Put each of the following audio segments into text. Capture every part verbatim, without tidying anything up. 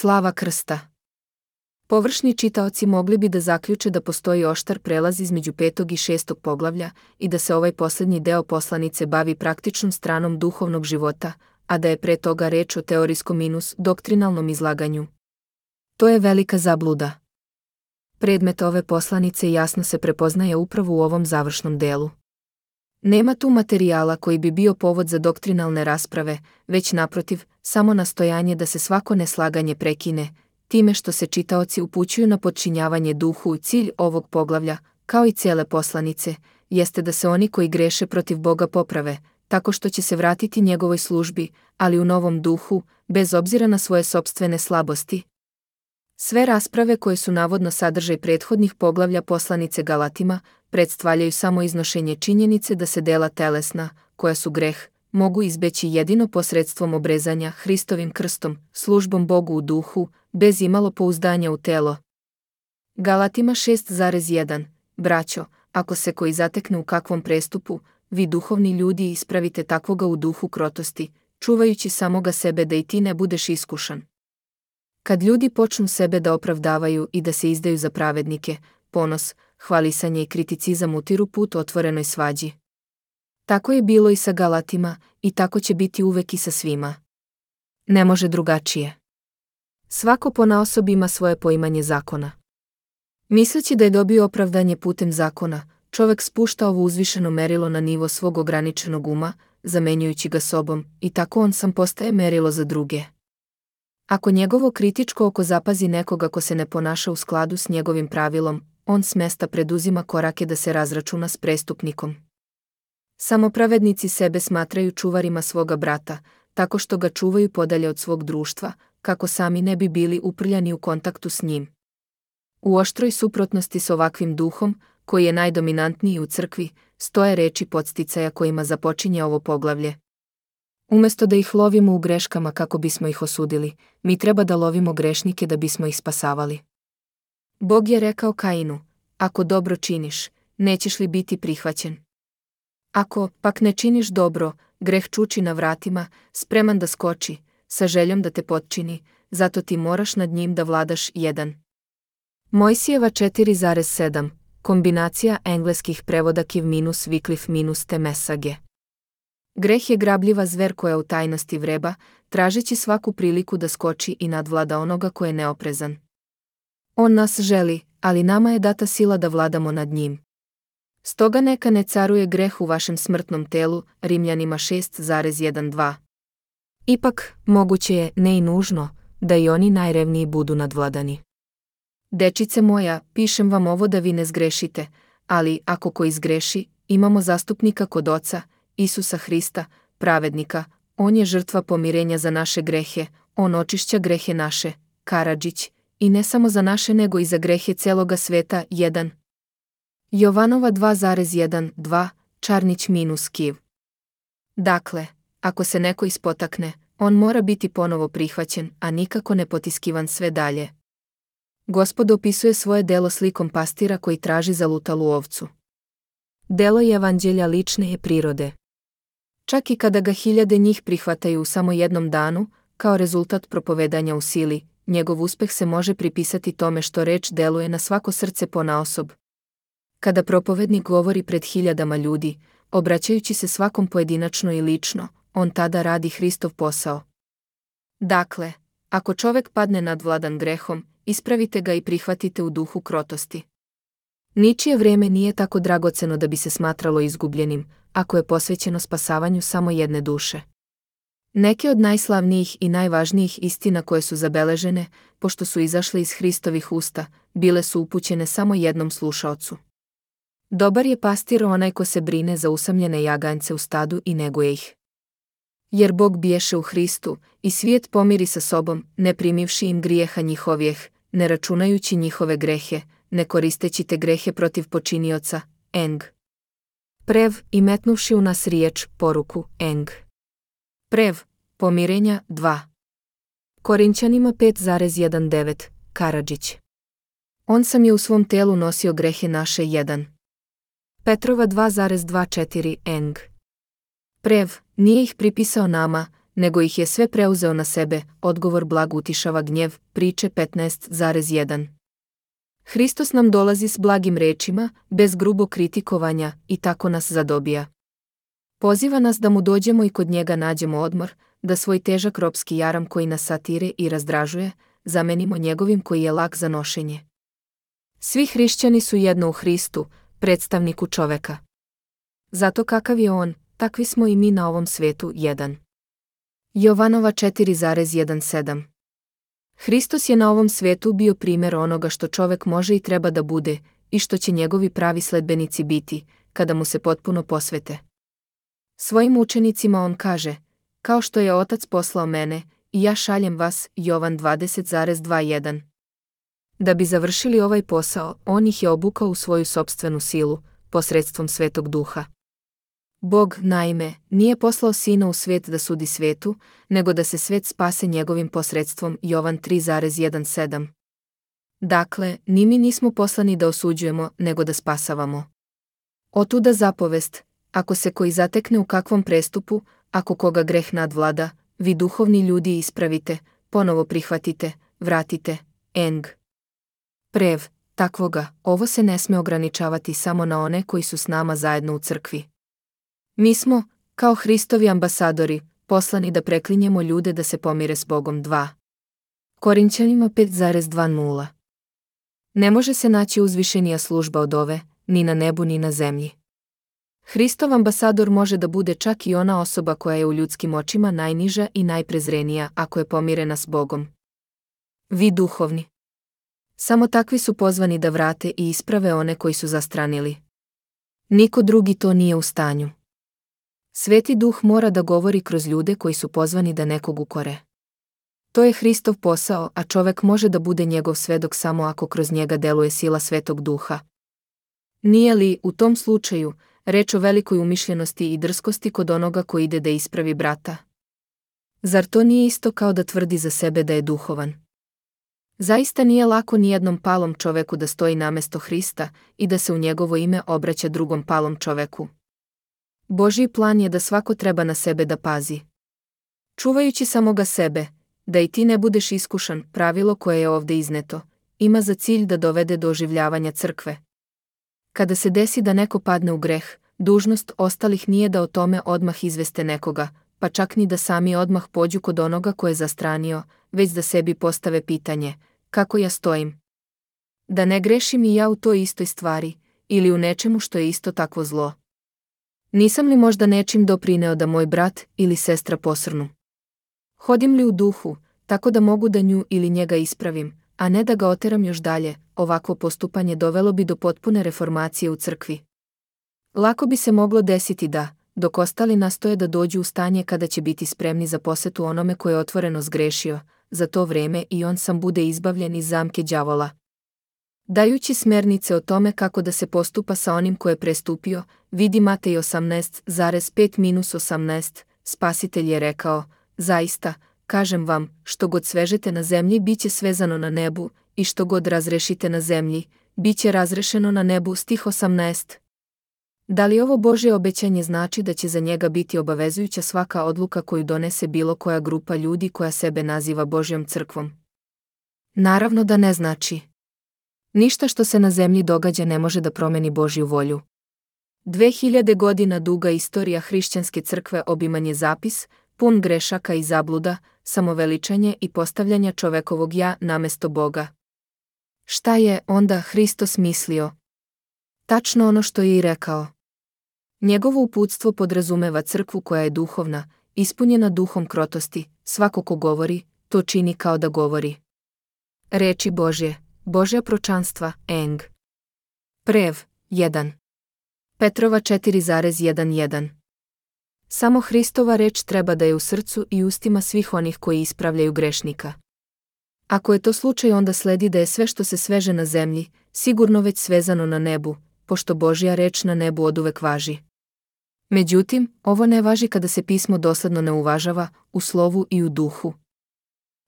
Slava krsta. Površni čitaoci mogli bi da zaključe da postoji oštar prelaz između petog i šestog poglavlja i da se ovaj posljednji deo poslanice bavi praktičnom stranom duhovnog života, a da je pre toga reč o teorijskom minus doktrinalnom izlaganju. To je velika zabluda. Predmet ove poslanice jasno se prepoznaje upravo u ovom završnom delu. Nema tu materijala koji bi bio povod za doktrinalne rasprave, već naprotiv, samo nastojanje da se svako neslaganje prekine, time što se čitaoci upućuju na podčinjavanje duhu. Cilj ovog poglavlja, kao i cijele poslanice, jeste da se oni koji greše protiv Boga poprave, tako što će se vratiti njegovoj službi, ali u novom duhu, bez obzira na svoje sopstvene slabosti. Sve rasprave koje su navodno sadržaj prethodnih poglavlja poslanice Galatima, predstavljaju samo iznošenje činjenice da se dela telesna, koja su greh, mogu izbeći jedino posredstvom obrezanja Hristovim krstom, službom Bogu u duhu, bez imalo pouzdanja u telo. Galatima šest zarez jedan. Braćo, ako se koji zatekne u kakvom prestupu, vi duhovni ljudi ispravite takvoga u duhu krotosti, čuvajući samoga sebe da i ti ne budeš iskušan. Kad ljudi počnu sebe da opravdavaju i da se izdaju za pravednike, ponos, hvalisanje i kriticizam utiru put otvorenoj svađi. Tako je bilo i sa Galatima, i tako će biti uvek i sa svima. Ne može drugačije. Svako ponaosob ima svoje poimanje zakona. Misleći da je dobio opravdanje putem zakona, čovek spušta ovo uzvišeno merilo na nivo svog ograničenog uma, zamenjujući ga sobom, i tako on sam postaje merilo za druge. Ako njegovo kritičko oko zapazi nekoga ko se ne ponaša u skladu s njegovim pravilom, on s mesta preduzima korake da se razračuna s prestupnikom. Samo pravednici sebe smatraju čuvarima svoga brata, tako što ga čuvaju podalje od svog društva, kako sami ne bi bili uprljani u kontaktu s njim. U oštroj suprotnosti s ovakvim duhom, koji je najdominantniji u crkvi, stoje reči podsticaja kojima započinje ovo poglavlje. Umjesto da ih lovimo u greškama kako bismo ih osudili, mi treba da lovimo grešnike da bismo ih spasavali. Bog je rekao Kainu, ako dobro činiš, nećeš li biti prihvaćen? Ako, pak ne činiš dobro, greh čuči na vratima, spreman da skoči, sa željom da te potčini, zato ti moraš nad njim da vladaš. jedan. Mojsijeva četiri zarez sedam. Kombinacija engleskih prevoda Kiv minus Wycliffe minus te Message. Greh je grabljiva zver koja u tajnosti vreba, tražeći svaku priliku da skoči i nadvlada onoga ko je neoprezan. On nas želi, ali nama je data sila da vladamo nad njim. Stoga neka ne caruje greh u vašem smrtnom telu, Rimljanima šest zarez jedan dva. Ipak, moguće je, ne i nužno, da i oni najrevniji budu nadvladani. Dečice moja, pišem vam ovo da vi ne zgrešite, ali ako ko izgreši, imamo zastupnika kod Oca, Isusa Hrista, pravednika, on je žrtva pomirenja za naše grehe, on očišća grehe naše, Karadžić, i ne samo za naše nego i za grehe celoga sveta. jedan. Jovanova dva zarez jedan dva, Čarnić minus Kiv. Dakle, ako se neko ispotakne, on mora biti ponovo prihvaćen, a nikako ne potiskivan sve dalje. Gospod opisuje svoje delo slikom pastira koji traži zalutalu ovcu. Delo evanđelja lične je prirode. Čak i kada ga hiljade njih prihvataju u samo jednom danu, kao rezultat propovedanja u sili, njegov uspeh se može pripisati tome što reč deluje na svako srce ponaosob. Kada propovednik govori pred hiljadama ljudi, obraćajući se svakom pojedinačno i lično, on tada radi Hristov posao. Dakle, ako čovek padne nadvladan grehom, ispravite ga i prihvatite u duhu krotosti. Ničije vrijeme nije tako dragoceno da bi se smatralo izgubljenim, ako je posvećeno spasavanju samo jedne duše. Neke od najslavnijih i najvažnijih istina koje su zabeležene, pošto su izašle iz Hristovih usta, bile su upućene samo jednom slušaocu. Dobar je pastir onaj ko se brine za usamljene jaganjce u stadu i neguje ih. Jer Bog biješe u Hristu, i svijet pomiri sa sobom, ne primivši im grijeha njihovijeh, ne računajući njihove grehe, ne koristeći te grehe protiv počinioca, eng. Prev, i metnuvši u nas riječ, poruku, eng. Prev, pomirenja, dva. Korinćanima pet zarez devetnaest, Karadžić. On sam je u svom telu nosio grehe naše. jedan. Petrova dva zarez dvadeset četiri, eng. Prev, nije ih pripisao nama, nego ih je sve preuzeo na sebe, odgovor blag utišava gnjev, priče petnaest zarez jedan. Hristos nam dolazi s blagim rečima, bez grubog kritikovanja, i tako nas zadobija. Poziva nas da mu dođemo i kod njega nađemo odmor, da svoj težak ropski jaram koji nas satire i razdražuje, zamenimo njegovim koji je lak za nošenje. Svi hrišćani su jedno u Hristu, predstavniku čoveka. Zato kakav je on, takvi smo i mi na ovom svetu. jedan. Jovanova četiri zarez sedam. Hristos je na ovom svetu bio primjer onoga što čovek može i treba da bude, i što će njegovi pravi sledbenici biti, kada mu se potpuno posvete. Svojim učenicima on kaže, kao što je Otac poslao mene, i ja šaljem vas, Jovan dvadeset zarez dvadeset jedan. Da bi završili ovaj posao, on ih je obukao u svoju sopstvenu silu, posredstvom Svetog Duha. Bog, naime, nije poslao Sina u svijet da sudi svetu, nego da se svet spase njegovim posredstvom, Jovan tri zarez sedam. Dakle, ni mi nismo poslani da osuđujemo, nego da spasavamo. Otuda zapovest, ako se koji zatekne u kakvom prestupu, ako koga greh nadvlada, vi duhovni ljudi ispravite, ponovo prihvatite, vratite, eng. Prev, takvoga, ovo se ne sme ograničavati samo na one koji su s nama zajedno u crkvi. Mi smo, kao Hristovi ambasadori, poslani da preklinjemo ljude da se pomire s Bogom. dva. Korinćanima pet zarez dvadeset. Ne može se naći uzvišenija služba od ove, ni na nebu ni na zemlji. Hristov ambasador može da bude čak i ona osoba koja je u ljudskim očima najniža i najprezrenija ako je pomirena s Bogom. Vi duhovni. Samo takvi su pozvani da vrate i isprave one koji su zastranili. Niko drugi to nije u stanju. Sveti Duh mora da govori kroz ljude koji su pozvani da nekog ukore. To je Hristov posao, a čovek može da bude njegov svedok samo ako kroz njega deluje sila Svetog Duha. Nije li, u tom slučaju, reč o velikoj umišljenosti i drskosti kod onoga koji ide da ispravi brata? Zar to nije isto kao da tvrdi za sebe da je duhovan? Zaista nije lako nijednom palom čoveku da stoji namesto Hrista i da se u njegovo ime obraća drugom palom čoveku. Božji plan je da svako treba na sebe da pazi. Čuvajući samoga sebe, da i ti ne budeš iskušan, pravilo koje je ovde izneto, ima za cilj da dovede do oživljavanja crkve. Kada se desi da neko padne u greh, dužnost ostalih nije da o tome odmah izveste nekoga, pa čak ni da sami odmah pođu kod onoga ko je zastranio, već da sebi postave pitanje, kako ja stojim? Da ne grešim i ja u toj istoj stvari, ili u nečemu što je isto takvo zlo? Nisam li možda nečim doprineo da moj brat ili sestra posrnu? Hodim li u duhu, tako da mogu da nju ili njega ispravim, a ne da ga oteram još dalje? Ovakvo postupanje dovelo bi do potpune reformacije u crkvi. Lako bi se moglo desiti da, dok ostali nastoje da dođu u stanje kada će biti spremni za posetu onome koje je otvoreno zgrešio, za to vreme i on sam bude izbavljen iz zamke đavola. Dajući smernice o tome kako da se postupa sa onim ko je prestupio, vidi Matej osamnaest zarez pet osamnaest, Spasitelj je rekao, zaista, kažem vam, što god svežete na zemlji biće svezano na nebu, i što god razrešite na zemlji, biće razrešeno na nebu. Stih osamnaest. Da li ovo Božje obećanje znači da će za njega biti obavezujuća svaka odluka koju donese bilo koja grupa ljudi koja sebe naziva Božjom crkvom? Naravno da ne znači. Ništa što se na zemlji događa ne može da promeni Božju volju. Dve hiljade godina duga istorija hrišćanske crkve obiman je zapis, pun grešaka i zabluda, samoveličanje i postavljanja čovekovog ja namesto Boga. Šta je onda Hristos mislio? Tačno ono što je i rekao. Njegovo uputstvo podrazumeva crkvu koja je duhovna, ispunjena duhom krotosti, svako ko govori, to čini kao da govori. Reči Božje, Božja pročanstva, eng. Prev, jedan. Petrova četiri zarez jedan. Samo Hristova reč treba da je u srcu i ustima svih onih koji ispravljaju grešnika. Ako je to slučaj, onda sledi da je sve što se sveže na zemlji, sigurno već svezano na nebu, pošto Božja reč na nebu oduvek važi. Međutim, ovo ne važi kada se pismo dosledno ne uvažava, u slovu i u duhu.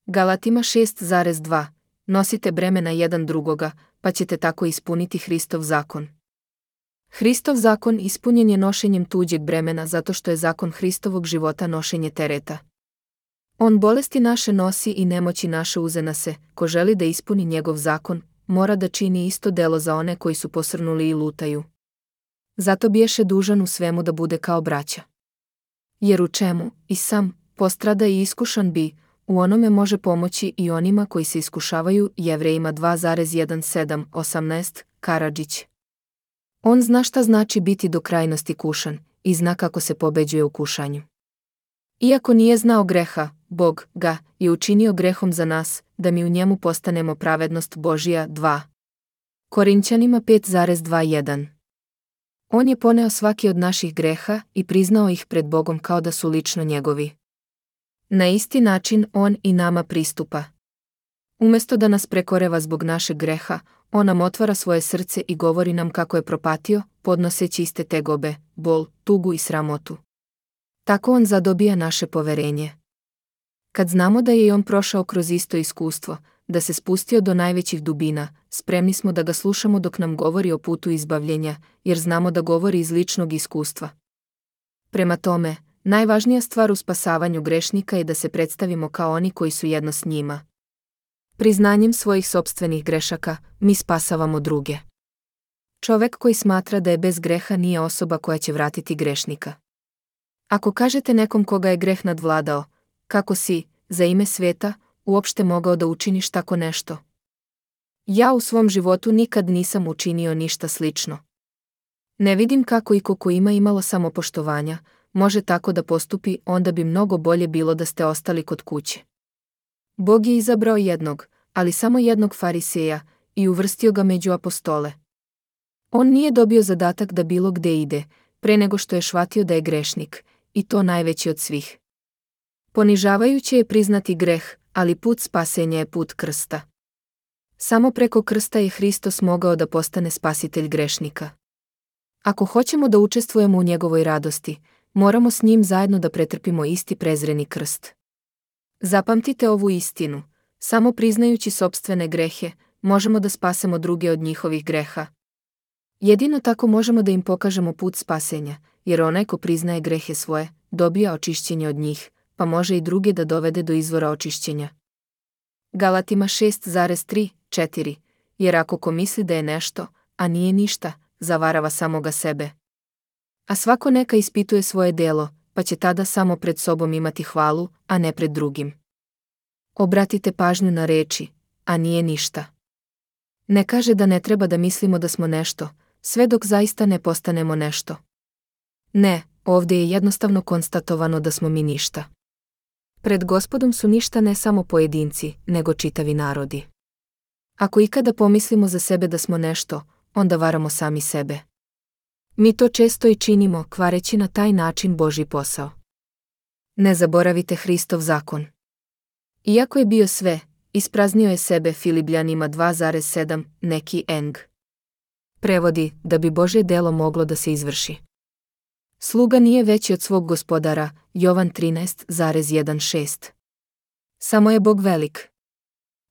Galatima šest zarez dva. Nosite bremena jedan drugoga, pa ćete tako ispuniti Hristov zakon. Hristov zakon ispunjen je nošenjem tuđeg bremena zato što je zakon Hristovog života nošenje tereta. On bolesti naše nosi i nemoći naše uze na se. Ko želi da ispuni njegov zakon, mora da čini isto delo za one koji su posrnuli i lutaju. Zato biješe dužan u svemu da bude kao braća. Jer u čemu, i sam, postrada i iskušan bi, u onome može pomoći i onima koji se iskušavaju. Jevrejima dva sedam osamnaest, Karadžić. On zna šta znači biti do krajnosti kušan i zna kako se pobeđuje u kušanju. Iako nije znao greha, Bog ga je učinio grehom za nas, da mi u njemu postanemo pravednost Božija. dva Korinćanima pet dvadeset jedan. On je poneo svaki od naših greha i priznao ih pred Bogom kao da su lično njegovi. Na isti način on i nama pristupa. Umjesto da nas prekoreva zbog našeg greha, on nam otvara svoje srce i govori nam kako je propatio, podnoseći iste tegobe, bol, tugu i sramotu. Tako on zadobija naše poverenje. Kad znamo da je i on prošao kroz isto iskustvo, da se spustio do najvećih dubina, spremni smo da ga slušamo dok nam govori o putu izbavljenja, jer znamo da govori iz ličnog iskustva. Prema tome, najvažnija stvar u spasavanju grešnika je da se predstavimo kao oni koji su jedno s njima. Priznanjem svojih sopstvenih grešaka, mi spasavamo druge. Čovek koji smatra da je bez greha nije osoba koja će vratiti grešnika. Ako kažete nekom koga je greh nadvladao, kako si, za ime sveta, uopšte mogao da učiniš tako nešto? Ja u svom životu nikad nisam učinio ništa slično. Ne vidim kako iko ko ima imalo samopoštovanja, može tako da postupi, onda bi mnogo bolje bilo da ste ostali kod kuće. Bog je izabrao jednog, ali samo jednog fariseja, i uvrstio ga među apostole. On nije dobio zadatak da bilo gde ide, pre nego što je shvatio da je grešnik, i to najveći od svih. Ponižavajuće je priznati greh, ali put spasenja je put krsta. Samo preko krsta je Hristos mogao da postane spasitelj grešnika. Ako hoćemo da učestvujemo u njegovoj radosti, moramo s njim zajedno da pretrpimo isti prezreni krst. Zapamtite ovu istinu, samo priznajući sopstvene grehe, možemo da spasemo druge od njihovih greha. Jedino tako možemo da im pokažemo put spasenja, jer onaj ko priznaje grehe svoje, dobija očišćenje od njih, pa može i druge da dovede do izvora očišćenja. Galatima šest tri četiri. Jer ako ko misli da je nešto, a nije ništa, zavarava samoga sebe. A svako neka ispituje svoje delo, pa će tada samo pred sobom imati hvalu, a ne pred drugim. Obratite pažnju na reči, a nije ništa. Ne kaže da ne treba da mislimo da smo nešto, sve dok zaista ne postanemo nešto. Ne, ovdje je jednostavno konstatovano da smo mi ništa. Pred Gospodom su ništa ne samo pojedinci, nego čitavi narodi. Ako ikada pomislimo za sebe da smo nešto, onda varamo sami sebe. Mi to često i činimo, kvareći na taj način Božji posao. Ne zaboravite Hristov zakon. Iako je bio sve, ispraznio je sebe. Filipljanima dva sedam, neki eng. Prevodi, da bi Božje delo moglo da se izvrši. Sluga nije veći od svog gospodara, Jovan trinaest šesnaest. Samo je Bog velik.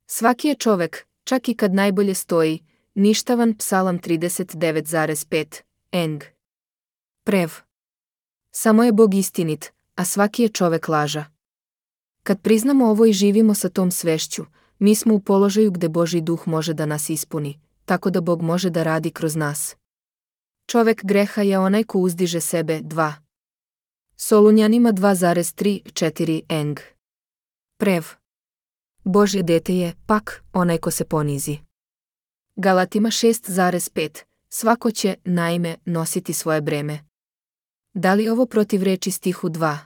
Svaki je čovek, čak i kad najbolje stoji, ništavan. Psalam trideset devet pet, eng. Prev. Samo je Bog istinit, a svaki je čovek laža. Kad priznamo ovo i živimo sa tom svešću, mi smo u položaju gde Božji duh može da nas ispuni, tako da Bog može da radi kroz nas. Čovek greha je onaj ko uzdiže sebe. dva Solunjanima dva tri četiri, eng. Prev. Božje dete je, pak, onaj ko se ponizi. Galatima šest pet. Svako će, naime, nositi svoje breme. Da li ovo protiv reči stihu dva?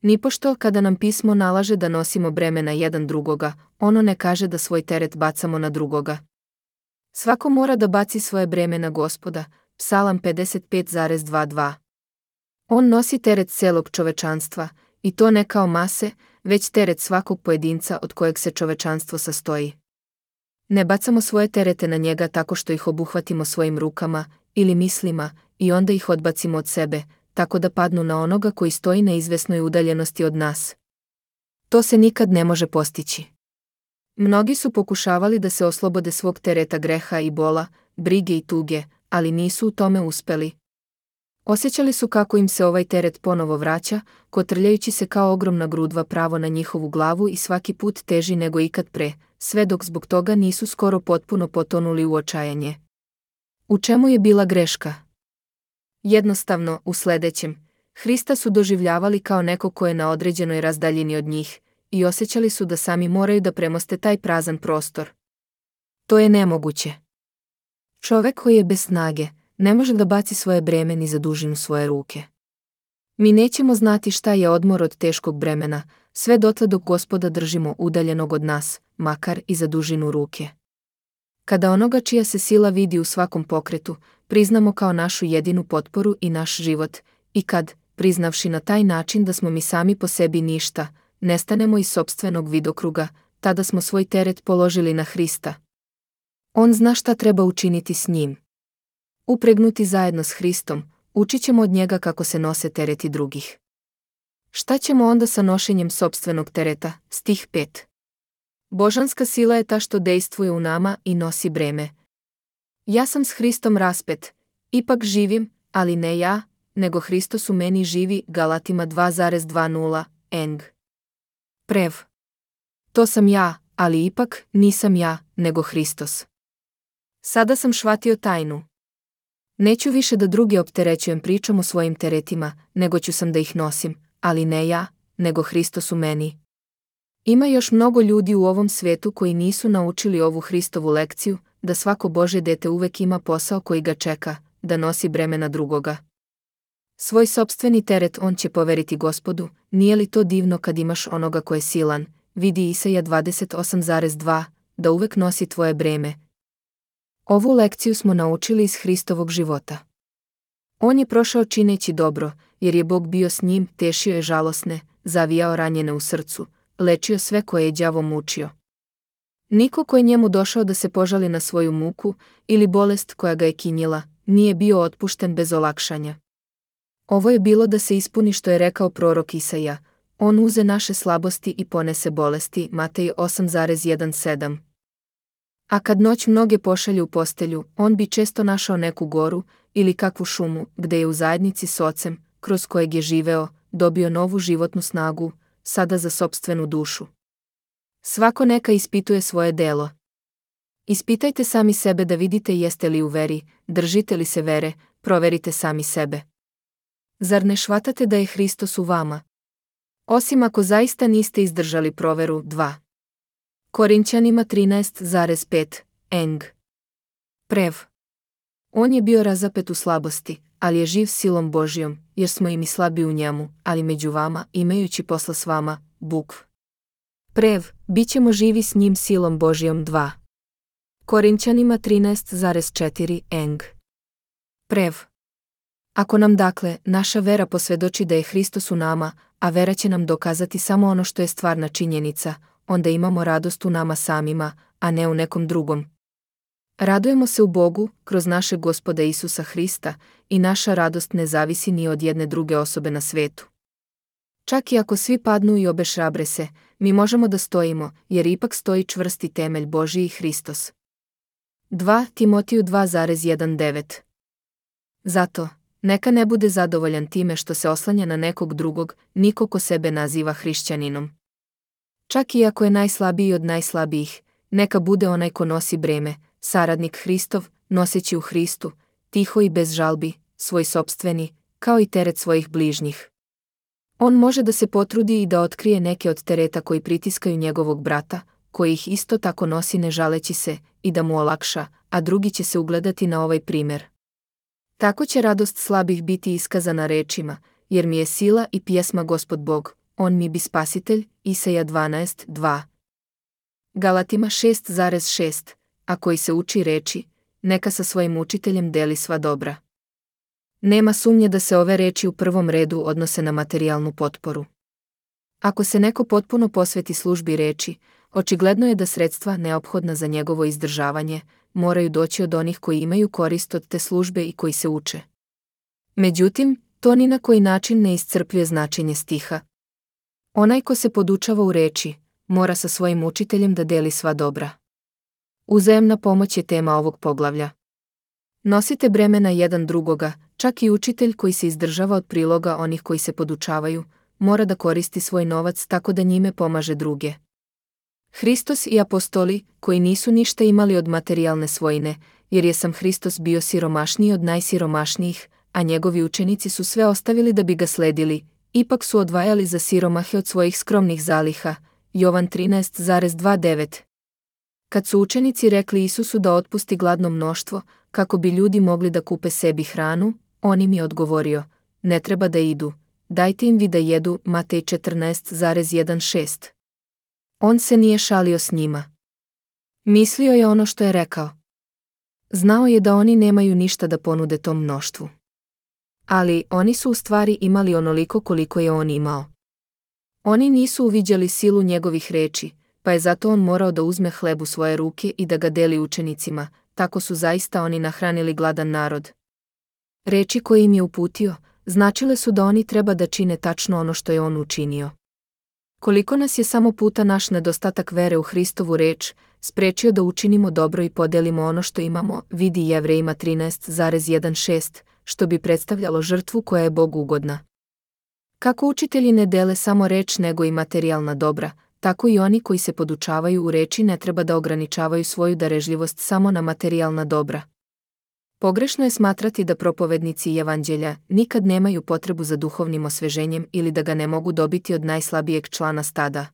Nipošto kada nam pismo nalaže da nosimo breme na jedan drugoga, ono ne kaže da svoj teret bacamo na drugoga. Svako mora da baci svoje breme na Gospoda. Psalam pedeset pet dvadeset dva. On nosi teret celog čovečanstva, i to ne kao mase, već teret svakog pojedinca od kojeg se čovečanstvo sastoji. Ne bacamo svoje terete na njega tako što ih obuhvatimo svojim rukama ili mislima i onda ih odbacimo od sebe, tako da padnu na onoga koji stoji na izvesnoj udaljenosti od nas. To se nikad ne može postići. Mnogi su pokušavali da se oslobode svog tereta greha i bola, brige i tuge, ali nisu u tome uspeli. Osjećali su kako im se ovaj teret ponovo vraća, kotrljajući se kao ogromna grudva pravo na njihovu glavu i svaki put teži nego ikad pre, sve dok zbog toga nisu skoro potpuno potonuli u očajanje. U čemu je bila greška? Jednostavno, u sledećem. Hrista su doživljavali kao neko ko je na određenoj razdaljini od njih i osjećali su da sami moraju da premoste taj prazan prostor. To je nemoguće. Čovek koji je bez snage ne može da baci svoje breme ni za dužinu svoje ruke. Mi nećemo znati šta je odmor od teškog bremena, sve dotle dok Gospoda držimo udaljenog od nas, makar i za dužinu ruke. Kada onoga čija se sila vidi u svakom pokretu, priznamo kao našu jedinu potporu i naš život, i kad, priznavši na taj način da smo mi sami po sebi ništa, nestanemo iz sopstvenog vidokruga, tada smo svoj teret položili na Hrista. On zna šta treba učiniti s njim. Upregnuti zajedno s Hristom, učit ćemo od njega kako se nose tereti drugih. Šta ćemo onda sa nošenjem sopstvenog tereta? Stih pet. Božanska sila je ta što dejstvuje u nama i nosi breme. Ja sam s Hristom raspet, ipak živim, ali ne ja, nego Hristos u meni živi. Galatima dva dvadeset. Eng. Prev. To sam ja, ali ipak nisam ja, nego Hristos. Sada sam shvatio tajnu. Neću više da druge opterećujem pričom o svojim teretima, nego ću sam da ih nosim, ali ne ja, nego Hristos u meni. Ima još mnogo ljudi u ovom svetu koji nisu naučili ovu Hristovu lekciju, da svako Božje dete uvek ima posao koji ga čeka, da nosi bremena drugoga. Svoj sopstveni teret on će poveriti Gospodu. Nije li to divno kad imaš onoga ko je silan, vidi Isaija dvadeset osam dva, da uvek nosi tvoje breme. Ovu lekciju smo naučili iz Hristovog života. On je prošao čineći dobro, jer je Bog bio s njim, tešio je žalosne, zavijao ranjene u srcu, lečio sve koje je đavo mučio. Niko ko je njemu došao da se požali na svoju muku ili bolest koja ga je kinjila, nije bio otpušten bez olakšanja. Ovo je bilo da se ispuni što je rekao prorok Isaija, on uze naše slabosti i ponese bolesti. Matej osam sedam. A kad noć mnoge pošalju u postelju, on bi često našao neku goru ili kakvu šumu, gde je u zajednici s ocem, kroz kojeg je živeo, dobio novu životnu snagu, sada za sopstvenu dušu. Svako neka ispituje svoje delo. Ispitajte sami sebe da vidite jeste li u veri, držite li se vere, proverite sami sebe. Zar ne shvatate da je Hristos u vama? Osim ako zaista niste izdržali proveru. dva. Korinćanima trinaest pet. Eng. Prev. On je bio razapet u slabosti, ali je živ silom Božjom, jer smo i mi slabi u njemu, ali među vama, imajući posla s vama, bukv. Prev, bit ćemo živi s njim silom Božjom. dva. Korinćanima trinaest četiri. Eng. Prev. Ako nam dakle, naša vera posvedoči da je Hristos u nama, a vera će nam dokazati samo ono što je stvarna činjenica, onda imamo radost u nama samima, a ne u nekom drugom. Radujemo se u Bogu, kroz našeg Gospoda Isusa Hrista, i naša radost ne zavisi ni od jedne druge osobe na svetu. Čak i ako svi padnu i obeshrabre se, mi možemo da stojimo, jer ipak stoji čvrsti temelj Božji i Hristos. dva Timotiju dva devet. Zato, neka ne bude zadovoljan time što se oslanja na nekog drugog, niko ko sebe naziva hrišćaninom. Čak i ako je najslabiji od najslabijih, neka bude onaj ko nosi breme, saradnik Hristov, noseći u Hristu, tiho i bez žalbi, svoj sopstveni, kao i teret svojih bližnjih. On može da se potrudi i da otkrije neke od tereta koji pritiskaju njegovog brata, koji ih isto tako nosi ne žaleći se, i da mu olakša, a drugi će se ugledati na ovaj primjer. Tako će radost slabih biti iskazana rečima, jer mi je sila i pjesma Gospod Bog, on mi bi spasitelj. Isaija dvanaest dva. Galatima šest šest, a koji se uči reči, neka sa svojim učiteljem deli sva dobra. Nema sumnje da se ove reči u prvom redu odnose na materijalnu potporu. Ako se neko potpuno posveti službi reči, očigledno je da sredstva neophodna za njegovo izdržavanje moraju doći od onih koji imaju korist od te službe i koji se uče. Međutim, to ni na koji način ne iscrpljuje značenje stiha. Onaj ko se podučava u reči, mora sa svojim učiteljem da deli sva dobra. Uzajamna pomoć je tema ovog poglavlja. Nosite bremena jedan drugoga, čak i učitelj koji se izdržava od priloga onih koji se podučavaju, mora da koristi svoj novac tako da njime pomaže druge. Hristos i apostoli, koji nisu ništa imali od materijalne svojine, jer je sam Hristos bio siromašniji od najsiromašnijih, a njegovi učenici su sve ostavili da bi ga sledili, ipak su odvajali za siromahe od svojih skromnih zaliha. Jovan trinaest dvadeset devet. Kad su učenici rekli Isusu da otpusti gladno mnoštvo, kako bi ljudi mogli da kupe sebi hranu, on im je odgovorio, ne treba da idu, dajte im vi da jedu. Matej četrnaest šezdeset. On se nije šalio s njima. Mislio je ono što je rekao. Znao je da oni nemaju ništa da ponude tom mnoštvu. Ali oni su u stvari imali onoliko koliko je on imao. Oni nisu uviđali silu njegovih reči, pa je zato on morao da uzme hleb u svoje ruke i da ga deli učenicima, tako su zaista oni nahranili gladan narod. Reči koje im je uputio, značile su da oni treba da čine tačno ono što je on učinio. Koliko nas je samo puta naš nedostatak vere u Hristovu reč sprečio da učinimo dobro i podelimo ono što imamo, vidi Jevrejima trinaest šezdeset, što bi predstavljalo žrtvu koja je Bogu ugodna. Kako učitelji ne dele samo reč nego i materijalna dobra, tako i oni koji se podučavaju u reči ne treba da ograničavaju svoju darežljivost samo na materijalna dobra. Pogrešno je smatrati da propovednici evanđelja nikad nemaju potrebu za duhovnim osveženjem ili da ga ne mogu dobiti od najslabijeg člana stada.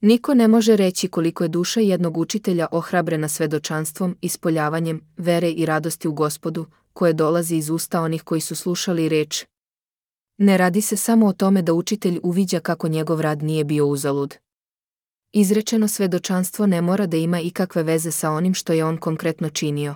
Niko ne može reći koliko je duša jednog učitelja ohrabrena svedočanstvom, ispoljavanjem vere i radosti u Gospodu, koje dolazi iz usta onih koji su slušali reč. Ne radi se samo o tome da učitelj uviđa kako njegov rad nije bio uzalud. Izrečeno svedočanstvo ne mora da ima ikakve veze sa onim što je on konkretno činio.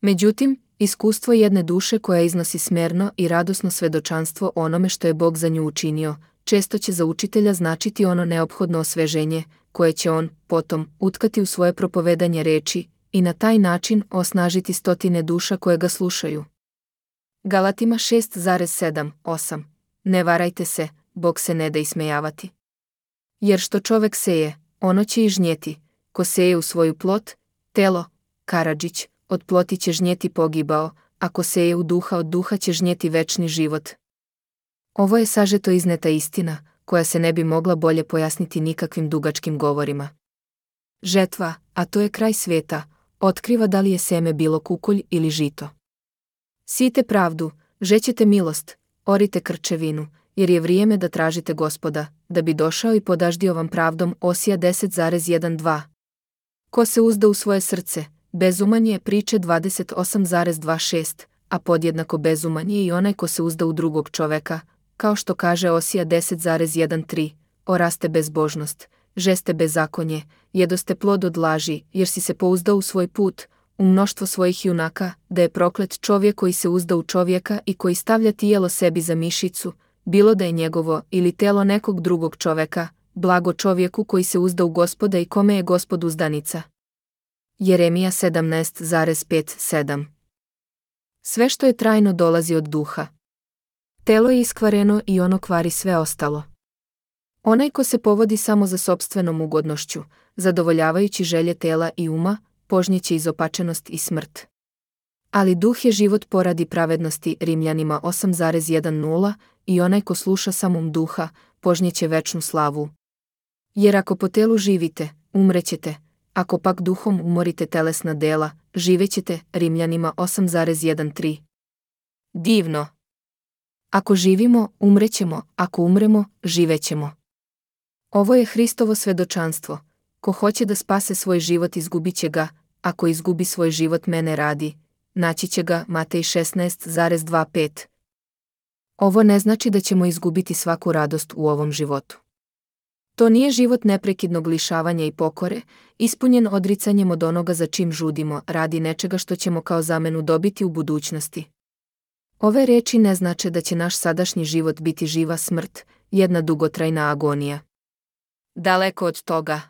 Međutim, iskustvo jedne duše koja iznosi smerno i radosno svedočanstvo onome što je Bog za nju učinio, često će za učitelja značiti ono neophodno osveženje, koje će on, potom, utkati u svoje propovedanje reči i na taj način osnažiti stotine duša koje ga slušaju. Galatima šest sedam osam. Ne varajte se, Bog se ne da ismejavati. Jer što čovek seje, ono će i žnjeti, ko seje u svoju plot, telo, Karadžić, od ploti će žnjeti pogibao, ako seje u duha, od duha će žnjeti večni život. Ovo je sažeto izneta istina, koja se ne bi mogla bolje pojasniti nikakvim dugačkim govorima. Žetva, a to je kraj sveta, otkriva da li je seme bilo kukolj ili žito. Sijte pravdu, žećete milost, orite krčevinu, jer je vrijeme da tražite Gospoda, da bi došao i podaždio vam pravdom. Osija deset dvanaest. Ko se uzda u svoje srce, bezuman je. Priče dvadeset osam dvadeset šest, a podjednako bezuman je i onaj ko se uzda u drugog čoveka, kao što kaže Osija deset trinaest. Oraste bezbožnost, žeste bezakonje, jedoste plod od laži, jer si se pouzdao u svoj put, u mnoštvo svojih junaka, da je proklet čovjek koji se uzda u čovjeka i koji stavlja tijelo sebi za mišicu, bilo da je njegovo ili telo nekog drugog čoveka, blago čovjeku koji se uzda u Gospoda i kome je Gospod uzdanica. Jeremija sedamnaest pet sedam. Sve što je trajno dolazi od duha. Telo je iskvareno i ono kvari sve ostalo. Onaj ko se povodi samo za sopstvenom ugodnošću, zadovoljavajući želje tela i uma, požnjeće izopačenost i smrt. Ali duh je život poradi pravednosti. Rimljanima osam jedanaest. I onaj ko sluša samom duha, požnjeće večnu slavu. Jer ako po telu živite, umrećete, ako pak duhom umorite telesna dela, živećete. Rimljanima osam trinaest. Divno! Ako živimo, umrećemo, ako umremo, živećemo. Ovo je Hristovo svedočanstvo. Ko hoće da spase svoj život, izgubit će ga, ako izgubi svoj život mene radi, naći će ga. Matej šesnaest dvadeset pet. Ovo ne znači da ćemo izgubiti svaku radost u ovom životu. To nije život neprekidnog lišavanja i pokore, ispunjen odricanjem od onoga za čim žudimo, radi nečega što ćemo kao zamenu dobiti u budućnosti. Ove reči ne znače da će naš sadašnji život biti živa smrt, jedna dugotrajna agonija. Daleko od toga.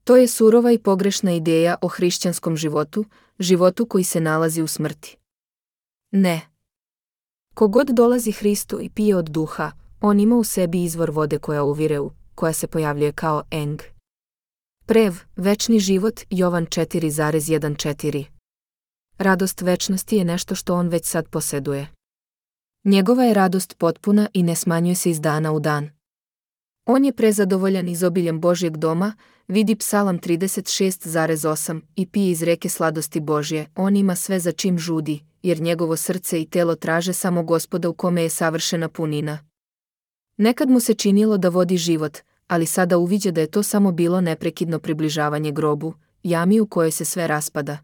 To je surova i pogrešna ideja o hrišćanskom životu, životu koji se nalazi u smrti. Ne. Kogod dolazi Hristu i pije od duha, on ima u sebi izvor vode koja uvire u, koja se pojavljuje kao eng. Prev, večni život. Jovan četiri jedančetrnaest. Radost večnosti je nešto što on već sad posjeduje. Njegova je radost potpuna i ne smanjuje se iz dana u dan. On je prezadovoljan izobiljem Božjeg doma, vidi Psalam trideset šest osam, i pije iz reke sladosti Božje. On ima sve za čim žudi, jer njegovo srce i telo traže samo Gospoda u kome je savršena punina. Nekad mu se činilo da vodi život, ali sada uviđa da je to samo bilo neprekidno približavanje grobu, jami u kojoj se sve raspada.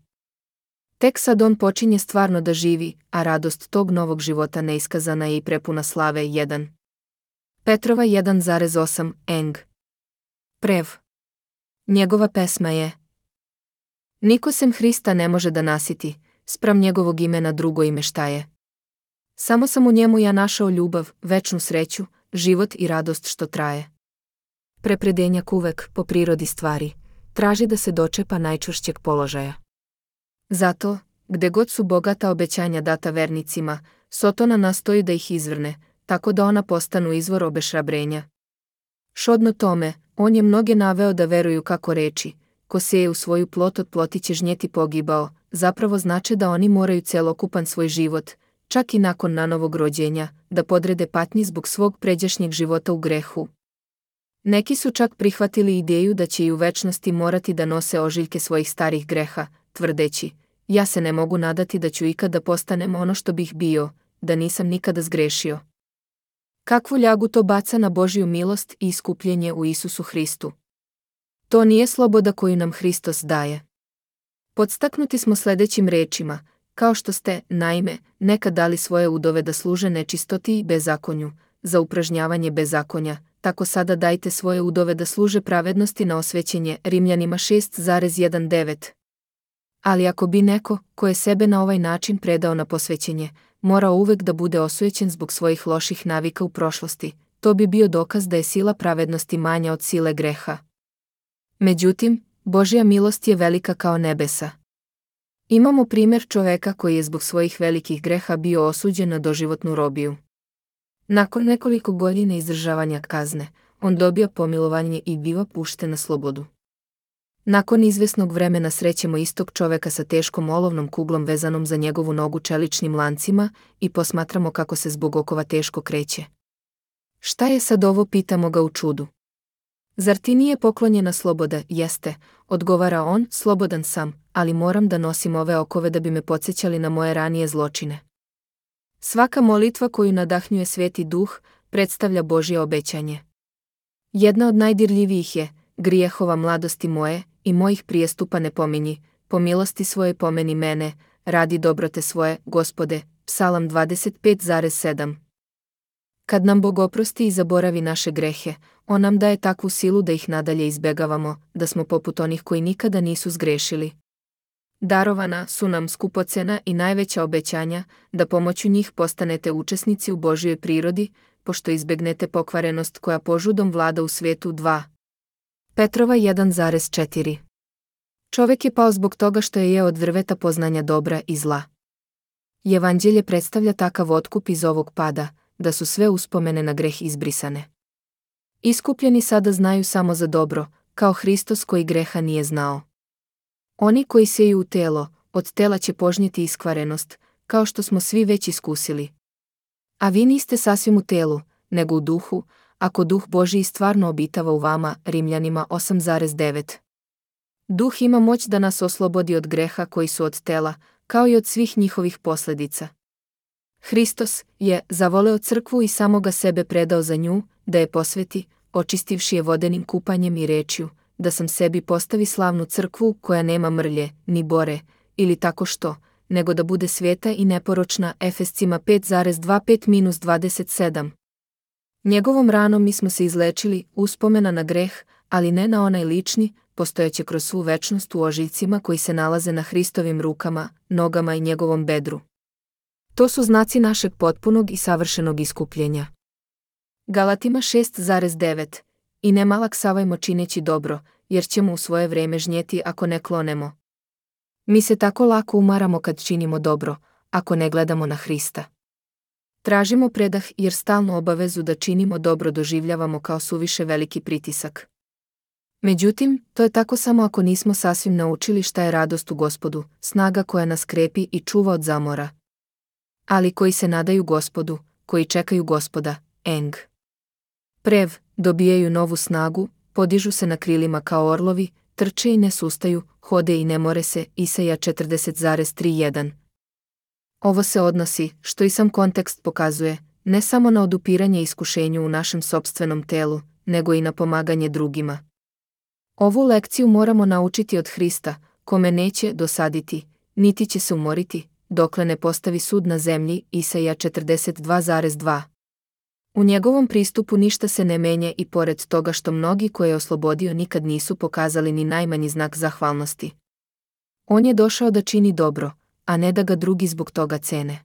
Tek sad on počinje stvarno da živi, a radost tog novog života neiskazana je i prepuna slave. jedan. Petrova jedan osam, eng. Prev. Njegova pesma je: Niko sem Hrista ne može da nasiti, spram njegovog imena drugo ime šta je. Samo sam u njemu ja našao ljubav, večnu sreću, život i radost što traje. Prepredenjak uvek, po prirodi stvari, traži da se dočepa najčvršćeg položaja. Zato, gde god su bogata obećanja data vernicima, Sotona nastoji da ih izvrne, tako da ona postanu izvor obeshrabrenja. Šodno tome, on je mnoge naveo da veruju kako reči: ko seje u svoju plot od ploti će žnjeti pogibao, zapravo znače da oni moraju celokupan svoj život, čak i nakon nanovog rođenja, da podrede patnji zbog svog pređašnjeg života u grehu. Neki su čak prihvatili ideju da će i u večnosti morati da nose ožiljke svojih starih greha, tvrdeći: ja se ne mogu nadati da ću ikada postanem ono što bih bio, da nisam nikada zgrešio. Kakvu ljagu to baca na Božju milost i iskupljenje u Isusu Hristu. To nije sloboda koju nam Hristos daje. Podstaknuti smo sljedećim rečima: kao što ste, naime, nekad dali svoje udove da služe nečistoti i bezakonju, za upražnjavanje bezakonja, tako sada dajte svoje udove da služe pravednosti na osvećenje. Rimljanima šest devet. Ali ako bi neko, ko je sebe na ovaj način predao na posvećenje, morao uvek da bude osujećen zbog svojih loših navika u prošlosti, to bi bio dokaz da je sila pravednosti manja od sile greha. Međutim, Božja milost je velika kao nebesa. Imamo primjer čoveka koji je zbog svojih velikih greha bio osuđen na doživotnu robiju. Nakon nekoliko godina izdržavanja kazne, on dobio pomilovanje i biva pušten na slobodu. Nakon izvesnog vremena srećemo istog čoveka sa teškom olovnom kuglom vezanom za njegovu nogu čeličnim lancima i posmatramo kako se zbog okova teško kreće. Šta je sad ovo, pitamo ga u čudu. Zar ti nije poklonjena sloboda? Jeste, odgovara on, slobodan sam, ali moram da nosim ove okove da bi me podsjećali na moje ranije zločine. Svaka molitva koju nadahnjuje Sveti Duh predstavlja Božje obećanje. Jedna od najdirljivijih je: grijehova mladosti moje i mojih prijestupa ne pominji, po milosti svoje pomeni mene, radi dobrote svoje, Gospode. Psalam dvadeset pet sedam. Kad nam Bog oprosti i zaboravi naše grehe, on nam daje takvu silu da ih nadalje izbegavamo, da smo poput onih koji nikada nisu zgrešili. Darovana su nam skupocena i najveća obećanja, da pomoću njih postanete učesnici u Božjoj prirodi, pošto izbegnete pokvarenost koja požudom vlada u svijetu. dva. Petrova jedan četiri. Čovek je pao zbog toga što je jeo od drveta poznanja dobra i zla. Evanđelje predstavlja takav otkup iz ovog pada, da su sve uspomene na greh izbrisane. Iskupljeni sada znaju samo za dobro, kao Hristos koji greha nije znao. Oni koji seju u telo, od tela će požnjeti iskvarenost, kao što smo svi već iskusili. A vi niste sasvim u telu, nego u duhu, ako Duh Božji stvarno obitava u vama. Rimljanima osam devet. Duh ima moć da nas oslobodi od greha koji su od tela, kao i od svih njihovih posljedica. Hristos je zavoleo crkvu i samoga sebe predao za nju, da je posveti, očistivši je vodenim kupanjem i rečju, da sam sebi postavi slavnu crkvu koja nema mrlje, ni bore, ili tako što, nego da bude sveta i neporočna. Efescima pet dvadeset pet dvadeset sedam. Njegovom ranom mi smo se izlečili, uspomena na greh, ali ne na onaj lični, postojeće kroz svu večnost u ožiljcima koji se nalaze na Hristovim rukama, nogama i njegovom bedru. To su znaci našeg potpunog i savršenog iskupljenja. Galatima šest devet. I ne malaksavajmo čineći dobro, jer ćemo u svoje vrijeme žnjeti ako ne klonemo. Mi se tako lako umaramo kad činimo dobro, ako ne gledamo na Hrista. Tražimo predah jer stalnu obavezu da činimo dobro doživljavamo kao suviše veliki pritisak. Međutim, to je tako samo ako nismo sasvim naučili šta je radost u Gospodu, snaga koja nas krepi i čuva od zamora. Ali koji se nadaju Gospodu, koji čekaju Gospoda, eng. Prev, dobijaju novu snagu, podižu se na krilima kao orlovi, trče i ne sustaju, hode i ne more se, Isaija četrdeset tri jedan. Ovo se odnosi, što i sam kontekst pokazuje, ne samo na odupiranje iskušenju u našem sopstvenom telu, nego i na pomaganje drugima. Ovu lekciju moramo naučiti od Hrista, kome neće dosaditi, niti će se umoriti, dokle ne postavi sud na zemlji, Isaija četrdeset dva dva. U njegovom pristupu ništa se ne menja i pored toga što mnogi koje je oslobodio nikad nisu pokazali ni najmanji znak zahvalnosti. On je došao da čini dobro, a ne da ga drugi zbog toga cene.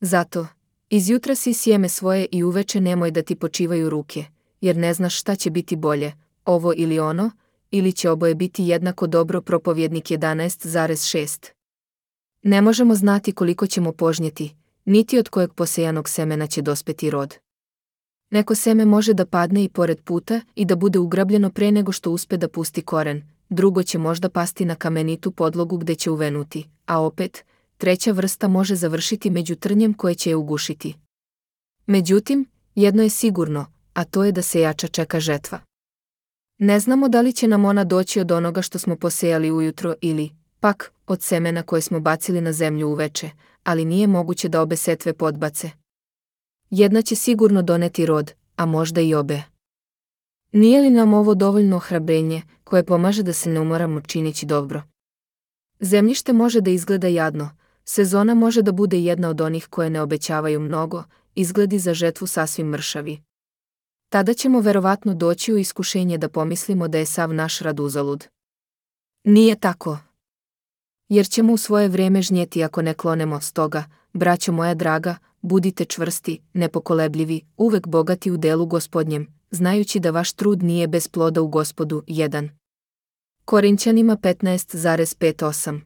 Zato, izjutra si sjeme svoje i uveče nemoj da ti počivaju ruke, jer ne znaš šta će biti bolje, ovo ili ono, ili će oboje biti jednako dobro. Propovjednik jedanaest šest. Ne možemo znati koliko ćemo požnjeti, niti od kojeg posejanog semena će dospeti rod. Neko seme može da padne i pored puta i da bude ugrabljeno pre nego što uspe da pusti koren, drugo će možda pasti na kamenitu podlogu gde će uvenuti, a opet, treća vrsta može završiti među trnjem koje će je ugušiti. Međutim, jedno je sigurno, a to je da sejača čeka žetva. Ne znamo da li će nam ona doći od onoga što smo posejali ujutro ili, pak, od semena koje smo bacili na zemlju uveče, ali nije moguće da obe setve podbace. Jedna će sigurno doneti rod, a možda i obe. Nije li nam ovo dovoljno ohrabrenje, koje pomaže da se ne umoramo čineći dobro? Zemljište može da izgleda jadno, sezona može da bude jedna od onih koje ne obećavaju mnogo, izgledi za žetvu sasvim mršavi. Tada ćemo verovatno doći u iskušenje da pomislimo da je sav naš rad uzalud. Nije tako. Jer ćemo u svoje vrijeme žnjeti ako ne klonemo, stoga, braćo moja draga, budite čvrsti, nepokolebljivi, uvek bogati u delu Gospodnjem, znajući da vaš trud nije bez ploda u Gospodu. jedan. Korinćanima petnaest pet osam.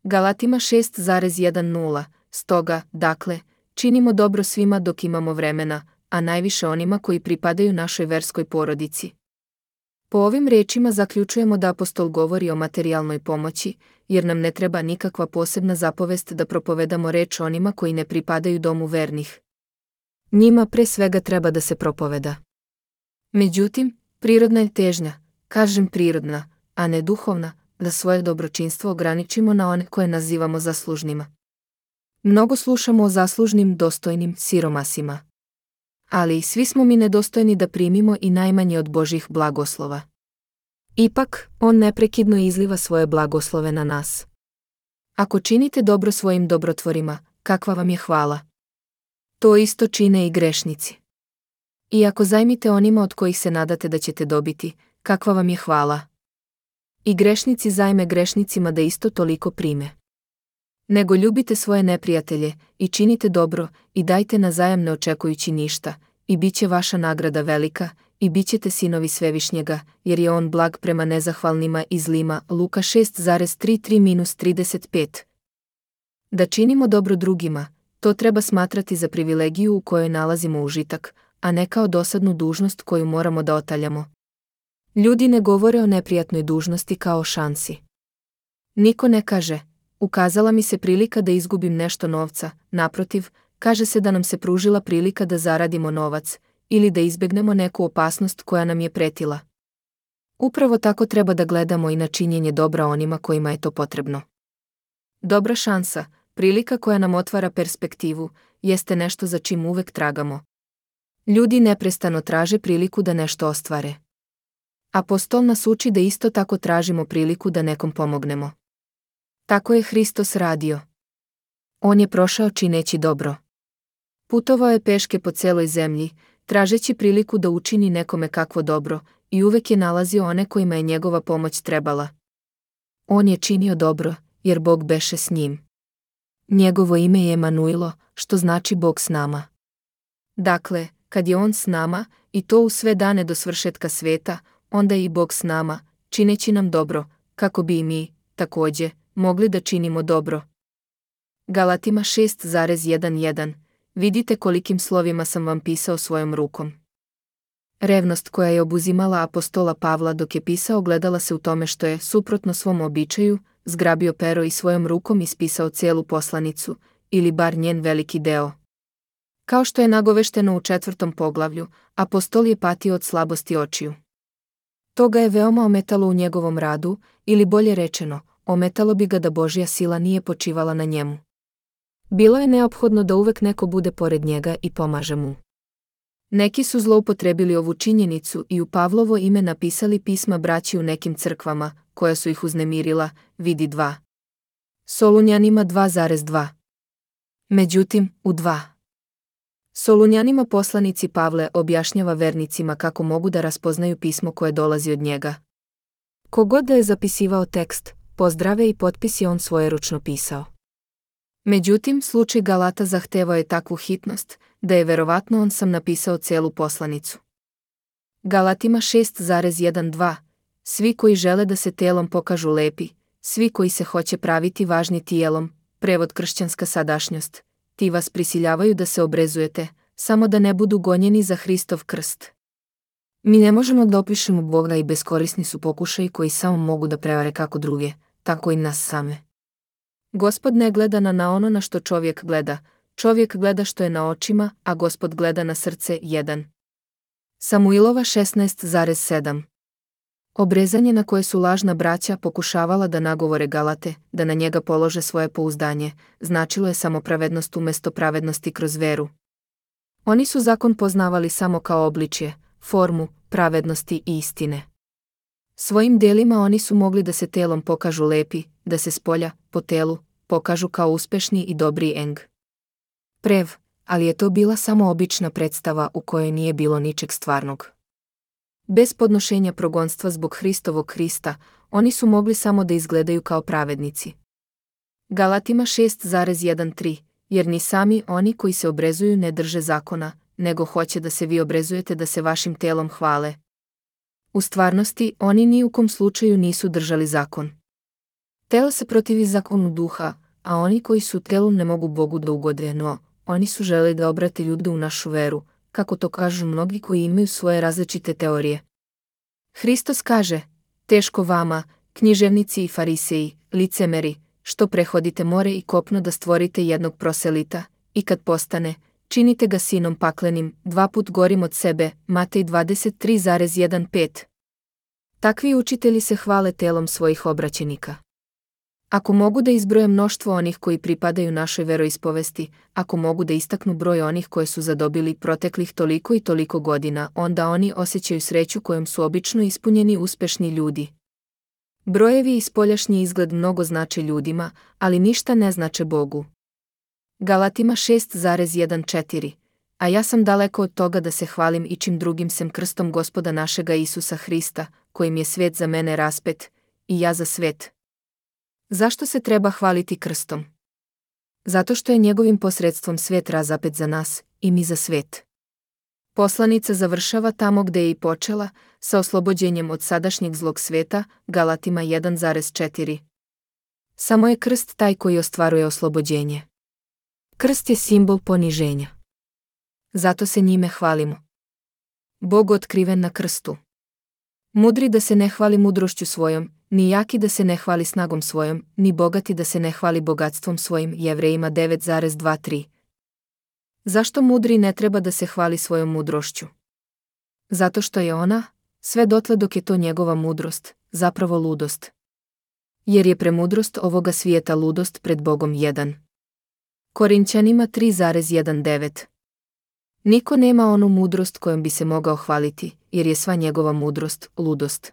Galatima šest jedan. Stoga, dakle, činimo dobro svima dok imamo vremena, a najviše onima koji pripadaju našoj verskoj porodici. Po ovim rečima zaključujemo da apostol govori o materijalnoj pomoći, jer nam ne treba nikakva posebna zapovest da propovedamo reč onima koji ne pripadaju domu vernih. Njima pre svega treba da se propoveda. Međutim, prirodna je težnja, kažem prirodna, a ne duhovna, da svoje dobročinstvo ograničimo na one koje nazivamo zaslužnima. Mnogo slušamo o zaslužnim, dostojnim siromasima. Ali svi smo mi nedostojni da primimo i najmanje od Božjih blagoslova. Ipak, on neprekidno izliva svoje blagoslove na nas. Ako činite dobro svojim dobrotvorima, kakva vam je hvala? To isto čine i grešnici. I ako zajmite onima od kojih se nadate da ćete dobiti, kakva vam je hvala? I grešnici zajme grešnicima da isto toliko prime. Nego ljubite svoje neprijatelje i činite dobro i dajte na zajam ne očekujući ništa, i bit će vaša nagrada velika, i bit ćete sinovi Svevišnjega, jer je on blag prema nezahvalnima i zlima. Luka šest tri tri trideset pet. Da činimo dobro drugima, to treba smatrati za privilegiju u kojoj nalazimo užitak, a ne kao dosadnu dužnost koju moramo da otaljamo. Ljudi ne govore o neprijatnoj dužnosti kao o šansi. Niko ne kaže, ukazala mi se prilika da izgubim nešto novca, naprotiv, kaže se da nam se pružila prilika da zaradimo novac, ili da izbegnemo neku opasnost koja nam je pretila. Upravo tako treba da gledamo i na činjenje dobra onima kojima je to potrebno. Dobra šansa, prilika koja nam otvara perspektivu, jeste nešto za čim uvek tragamo. Ljudi neprestano traže priliku da nešto ostvare. Apostol nas uči da isto tako tražimo priliku da nekom pomognemo. Tako je Hristos radio. On je prošao čineći dobro. Putovao je peške po celoj zemlji, tražeći priliku da učini nekome kakvo dobro, i uvek je nalazio one kojima je njegova pomoć trebala. On je činio dobro, jer Bog beše s njim. Njegovo ime je Emanuilo, što znači Bog s nama. Dakle, kad je on s nama, i to u sve dane do svršetka sveta, onda je i Bog s nama, čineći nam dobro, kako bi i mi, takođe, mogli da činimo dobro. Galatima šest jedan. Vidite kolikim slovima sam vam pisao svojom rukom. Revnost koja je obuzimala apostola Pavla dok je pisao gledala se u tome što je, suprotno svom običaju, zgrabio pero i svojom rukom ispisao cijelu poslanicu, ili bar njen veliki deo. Kao što je nagovešteno u četvrtom poglavlju, apostol je patio od slabosti očiju. To ga je veoma ometalo u njegovom radu, ili bolje rečeno, ometalo bi ga da Božja sila nije počivala na njemu. Bilo je neophodno da uvek neko bude pored njega i pomaže mu. Neki su zloupotrebili ovu činjenicu i u Pavlovo ime napisali pisma braći u nekim crkvama, koja su ih uznemirila, vidi dva. Solunjanima dva zarez dva. Međutim, u dva. Solunjanima poslanici Pavle objašnjava vernicima kako mogu da raspoznaju pismo koje dolazi od njega. Kogod da je zapisivao tekst, pozdrave i potpis je on svojeručno pisao. Međutim, slučaj Galata zahtevao je takvu hitnost, da je verovatno on sam napisao celu poslanicu. Galatima šest zarez jedan-dva. Svi koji žele da se telom pokažu lepi, svi koji se hoće praviti važni tijelom, prevod kršćanska sadašnjost, ti vas prisiljavaju da se obrezujete, samo da ne budu gonjeni za Hristov krst. Mi ne možemo da opišemo Boga i beskorisni su pokušaji koji samo mogu da prevare kako druge, tako i nas same. Gospod ne gleda na, na ono na što čovjek gleda, čovjek gleda što je na očima, a Gospod gleda na srce. jedan. Samuilova šesnaest zarez sedam. Obrezanje na koje su lažna braća pokušavala da nagovore Galate, da na njega polože svoje pouzdanje, značilo je samo pravednost umjesto pravednosti kroz veru. Oni su zakon poznavali samo kao obličje, formu, pravednosti i istine. Svojim delima oni su mogli da se telom pokažu lepi, da se spolja, po telu, pokažu kao uspešni i dobri eng. Prev, ali je to bila samo obična predstava u kojoj nije bilo ničeg stvarnog. Bez podnošenja progonstva zbog Hristovog Krista, oni su mogli samo da izgledaju kao pravednici. Galatima šest zarez jedan-tri. Jer ni sami oni koji se obrezuju ne drže zakona, nego hoće da se vi obrezujete da se vašim telom hvale. U stvarnosti, oni ni u kom slučaju nisu držali zakon. Telo se protivi zakonu duha, a oni koji su telu ne mogu Bogu da ugode, no oni su želeli da obrate ljude u našu veru, kako to kažu mnogi koji imaju svoje različite teorije. Hristos kaže, teško vama, književnici i fariseji, licemeri, što prehodite more i kopno da stvorite jednog proselita, i kad postane, činite ga sinom paklenim, dva put gorim od sebe, Matej dvadeset tri zarez jedan-pet. Takvi učitelji se hvale telom svojih obraćenika. Ako mogu da izbroje mnoštvo onih koji pripadaju našoj veroispovesti, ako mogu da istaknu broj onih koje su zadobili proteklih toliko i toliko godina, onda oni osjećaju sreću kojom su obično ispunjeni uspešni ljudi. Brojevi i spoljašnji izgled mnogo znače ljudima, ali ništa ne znače Bogu. Galatima šest zarez jedan-četiri. A ja sam daleko od toga da se hvalim ičim drugim sem krstom Gospoda našega Isusa Hrista, kojim je svet za mene raspet, i ja za svet. Zašto se treba hvaliti krstom? Zato što je njegovim posredstvom svet razapet za nas, i mi za svet. Poslanica završava tamo gde je i počela, sa oslobođenjem od sadašnjeg zlog sveta, Galatima jedan zarez četiri. Samo je krst taj koji ostvaruje oslobođenje. Krst je simbol poniženja. Zato se njime hvalimo. Bog otkriven na krstu. Mudri da se ne hvali mudrošću svojom, ni jaki da se ne hvali snagom svojom, ni bogati da se ne hvali bogatstvom svojim, Jevrejima devet zarez dva-tri. Zašto mudri ne treba da se hvali svojom mudrošću? Zato što je ona, sve dotle dok je to njegova mudrost, zapravo ludost. Jer je premudrost ovoga svijeta ludost pred Bogom. jedan. Korinćanima tri zarez jedan-devet. Niko nema onu mudrost kojom bi se mogao hvaliti, jer je sva njegova mudrost ludost.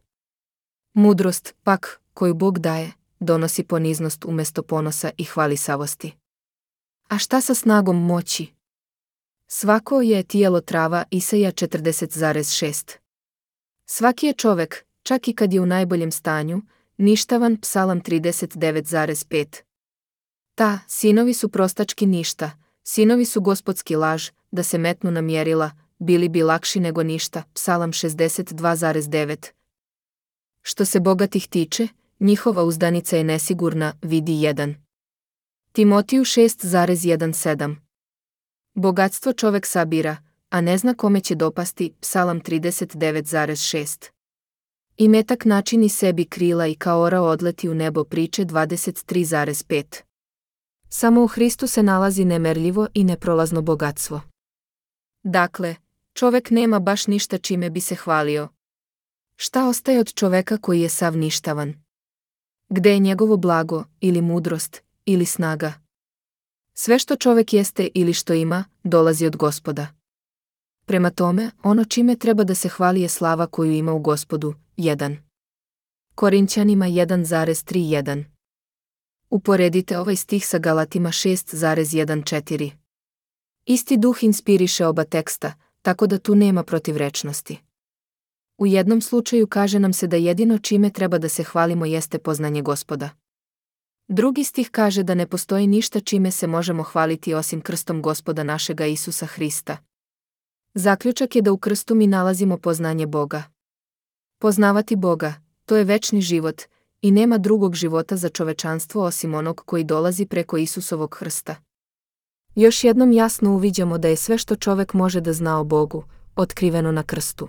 Mudrost, pak, koju Bog daje, donosi poniznost umjesto ponosa i hvalisavosti. A šta sa snagom moći? Svako je tijelo trava, Isaija četrdeset zarez šest. Svaki je čovek, čak i kad je u najboljem stanju, ništavan, Psalam trideset devet zarez pet. Ta, sinovi su prostački ništa, sinovi su gospodski laž, da se metnu na mjerila, bili bi lakši nego ništa, Psalam šezdeset dva zarez devet. Što se bogatih tiče, njihova uzdanica je nesigurna, vidi jedan. Timotiju šest zarez jedan-sedam. Bogatstvo čovek sabira, a ne zna kome će dopasti, Psalam trideset devet šest. Imetak načini sebi krila i kao orao odleti u nebo, priče dvadeset tri pet. Samo u Hristu se nalazi nemerljivo i neprolazno bogatstvo. Dakle, čovek nema baš ništa čime bi se hvalio. Šta ostaje od čoveka koji je sav ništavan? Gde je njegovo blago, ili mudrost, ili snaga? Sve što čovek jeste ili što ima, dolazi od Gospoda. Prema tome, ono čime treba da se hvali je slava koju ima u Gospodu. jedan. Korinćanima jedan tri jedan. Uporedite ovaj stih sa Galatima šest četrnaest. Isti duh inspiriše oba teksta, tako da tu nema protivrečnosti. U jednom slučaju kaže nam se da jedino čime treba da se hvalimo jeste poznanje Gospoda. Drugi stih kaže da ne postoji ništa čime se možemo hvaliti osim krstom Gospoda našega Isusa Hrista. Zaključak je da u krstu mi nalazimo poznanje Boga. Poznavati Boga, to je večni život, i nema drugog života za čovečanstvo osim onog koji dolazi preko Isusovog krsta. Još jednom jasno uviđamo da je sve što čovek može da zna o Bogu, otkriveno na krstu.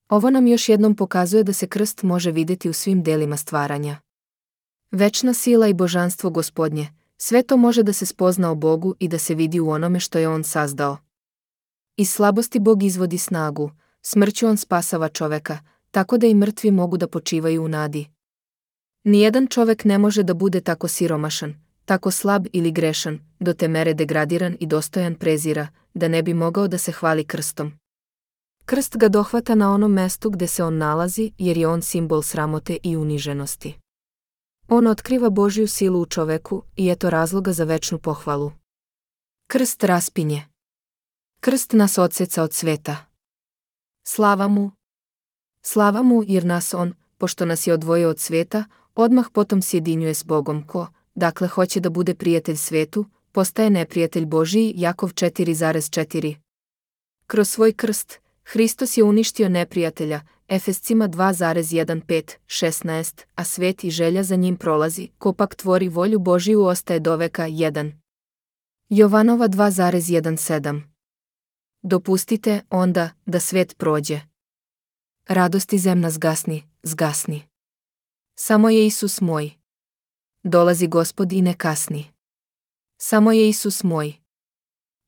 Ovo nam još jednom pokazuje da se krst može vidjeti u svim delima stvaranja. Večna sila i božanstvo Gospodnje, sve to može da se spozna o Bogu i da se vidi u onome što je On sazdao. Iz slabosti Bog izvodi snagu, smrću On spasava čoveka, tako da i mrtvi mogu da počivaju u nadi. Nijedan čovek ne može da bude tako siromašan, tako slab ili grešan, do te mere degradiran i dostojan prezira, da ne bi mogao da se hvali krstom. Krst ga dohvata na onom mestu gde se on nalazi, jer je on simbol sramote i uniženosti. On otkriva Božju silu u čoveku i eto razloga za večnu pohvalu. Krst raspinje. Krst nas odseca od sveta. Slava mu. Slava mu jer nas on, pošto nas je odvojio od sveta, odmah potom sjedinjuje s Bogom ko, dakle hoće da bude prijatelj svetu, postaje neprijatelj Božiji. Jakov četiri četiri. Kroz svoj krst, Hristos je uništio neprijatelja, Efescima dva pet šesnaest, a svet i želja za njim prolazi, ko pak tvori volju Božiju ostaje do veka. jedan. Jovanova dva sedam. Dopustite, onda, da svet prođe. Radosti zemna zgasni, zgasni. Samo je Isus moj. Dolazi Gospod i ne kasni. Samo je Isus moj.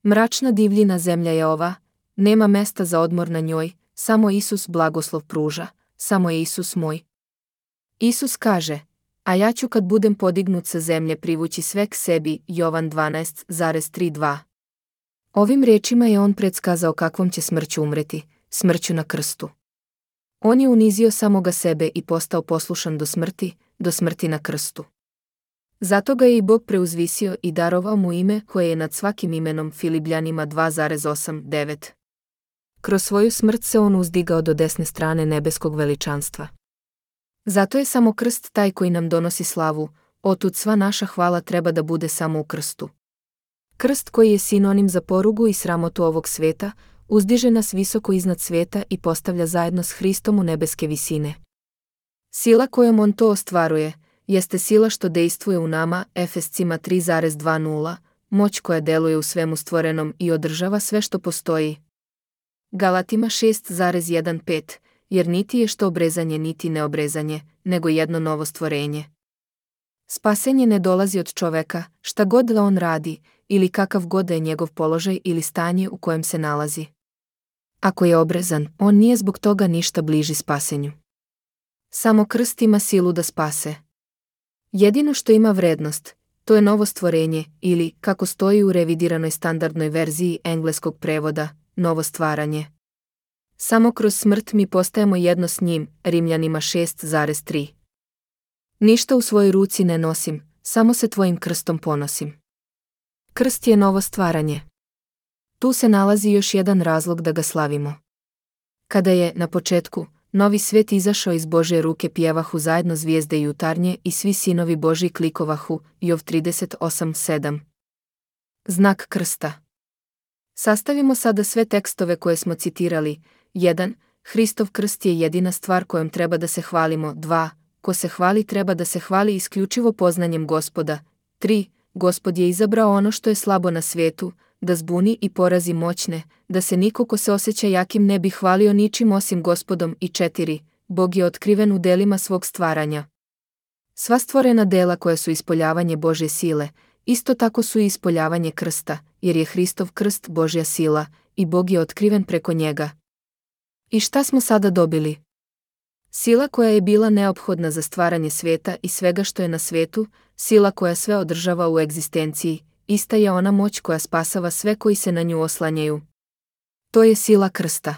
Mračna divljina zemlja je ova, nema mesta za odmor na njoj, samo Isus blagoslov pruža, samo je Isus moj. Isus kaže, a ja ću kad budem podignut sa zemlje privući sve k sebi, Jovan dvanaest tri dva. Ovim rečima je on predskazao kakvom će smrću umreti, smrću na krstu. On je unizio samoga sebe i postao poslušan do smrti, do smrti na krstu. Zato ga je i Bog preuzvisio i darovao mu ime koje je nad svakim imenom, Filipljanima dva osam devet. Kroz svoju smrt se on uzdigao do desne strane nebeskog veličanstva. Zato je samo krst taj koji nam donosi slavu, otud sva naša hvala treba da bude samo u krstu. Krst koji je sinonim za porugu i sramotu ovog sveta, uzdiže nas visoko iznad sveta i postavlja zajedno s Hristom u nebeske visine. Sila kojom on to ostvaruje, jeste sila što dejstvuje u nama, Efescima tri dvadeset, moć koja deluje u svemu stvorenom i održava sve što postoji. Galatima šest pet, jer niti je što obrezanje niti neobrezanje, nego jedno novo stvorenje. Spasenje ne dolazi od čoveka, šta god da on radi, ili kakav god da je njegov položaj ili stanje u kojem se nalazi. Ako je obrezan, on nije zbog toga ništa bliži spasenju. Samo krst ima silu da spase. Jedino što ima vrednost, to je novo stvorenje, ili, kako stoji u revidiranoj standardnoj verziji engleskog prevoda, novo stvaranje. Samo kroz smrt mi postajemo jedno s njim, Rimljanima šest tri. Ništa u svojoj ruci ne nosim, samo se tvojim krstom ponosim. Krst je novo stvaranje. Tu se nalazi još jedan razlog da ga slavimo. Kada je, na početku, novi svet izašao iz Božje ruke, pjevahu zajedno zvijezde jutarnje i svi sinovi Božji klikovahu, Jov trideset osam sedam. Znak krsta. Sastavimo sada sve tekstove koje smo citirali. jedan. Hristov krst je jedina stvar kojom treba da se hvalimo. dva. Ko se hvali treba da se hvali isključivo poznanjem Gospoda. tri. Gospod je izabrao ono što je slabo na svijetu, da zbuni i porazi moćne, da se niko ko se osjeća jakim ne bi hvalio ničim osim Gospodom. I četiri. Bog je otkriven u delima svog stvaranja. Sva stvorena dela koja su ispoljavanje Božje sile, isto tako su i ispoljavanje krsta, jer je Hristov krst Božja sila, i Bog je otkriven preko njega. I šta smo sada dobili? Sila koja je bila neophodna za stvaranje sveta i svega što je na svetu, sila koja sve održava u egzistenciji, ista je ona moć koja spasava sve koji se na nju oslanjaju. To je sila krsta.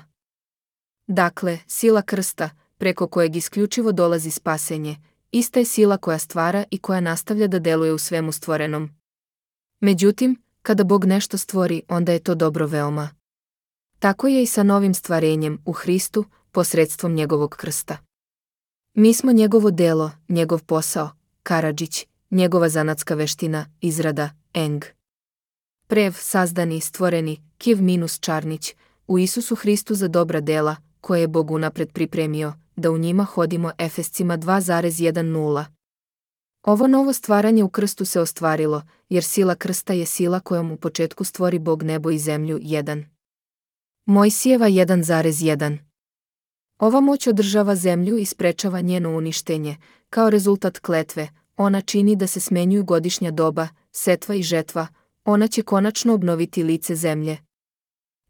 Dakle, sila krsta, preko kojeg isključivo dolazi spasenje, ista je sila koja stvara i koja nastavlja da deluje u svemu stvorenom. Međutim, kada Bog nešto stvori, onda je to dobro veoma. Tako je i sa novim stvarenjem u Hristu, posredstvom njegovog krsta. Mi smo njegovo delo, njegov posao, karadžić, njegova zanatska veština, izrada, eng. Prev, sazdani, stvoreni, kiv minus čarnić, u Isusu Hristu za dobra dela, koje je Bog unapred pripremio, da u njima hodimo. Efescima dva jedanaest. Ovo novo stvaranje u krstu se ostvarilo, jer sila krsta je sila kojom u početku stvori Bog nebo i zemlju. jedan. Mojsijeva jedan jedan. Ova moć održava zemlju i sprečava njeno uništenje, kao rezultat kletve, ona čini da se smenjuju godišnja doba, setva i žetva, ona će konačno obnoviti lice zemlje.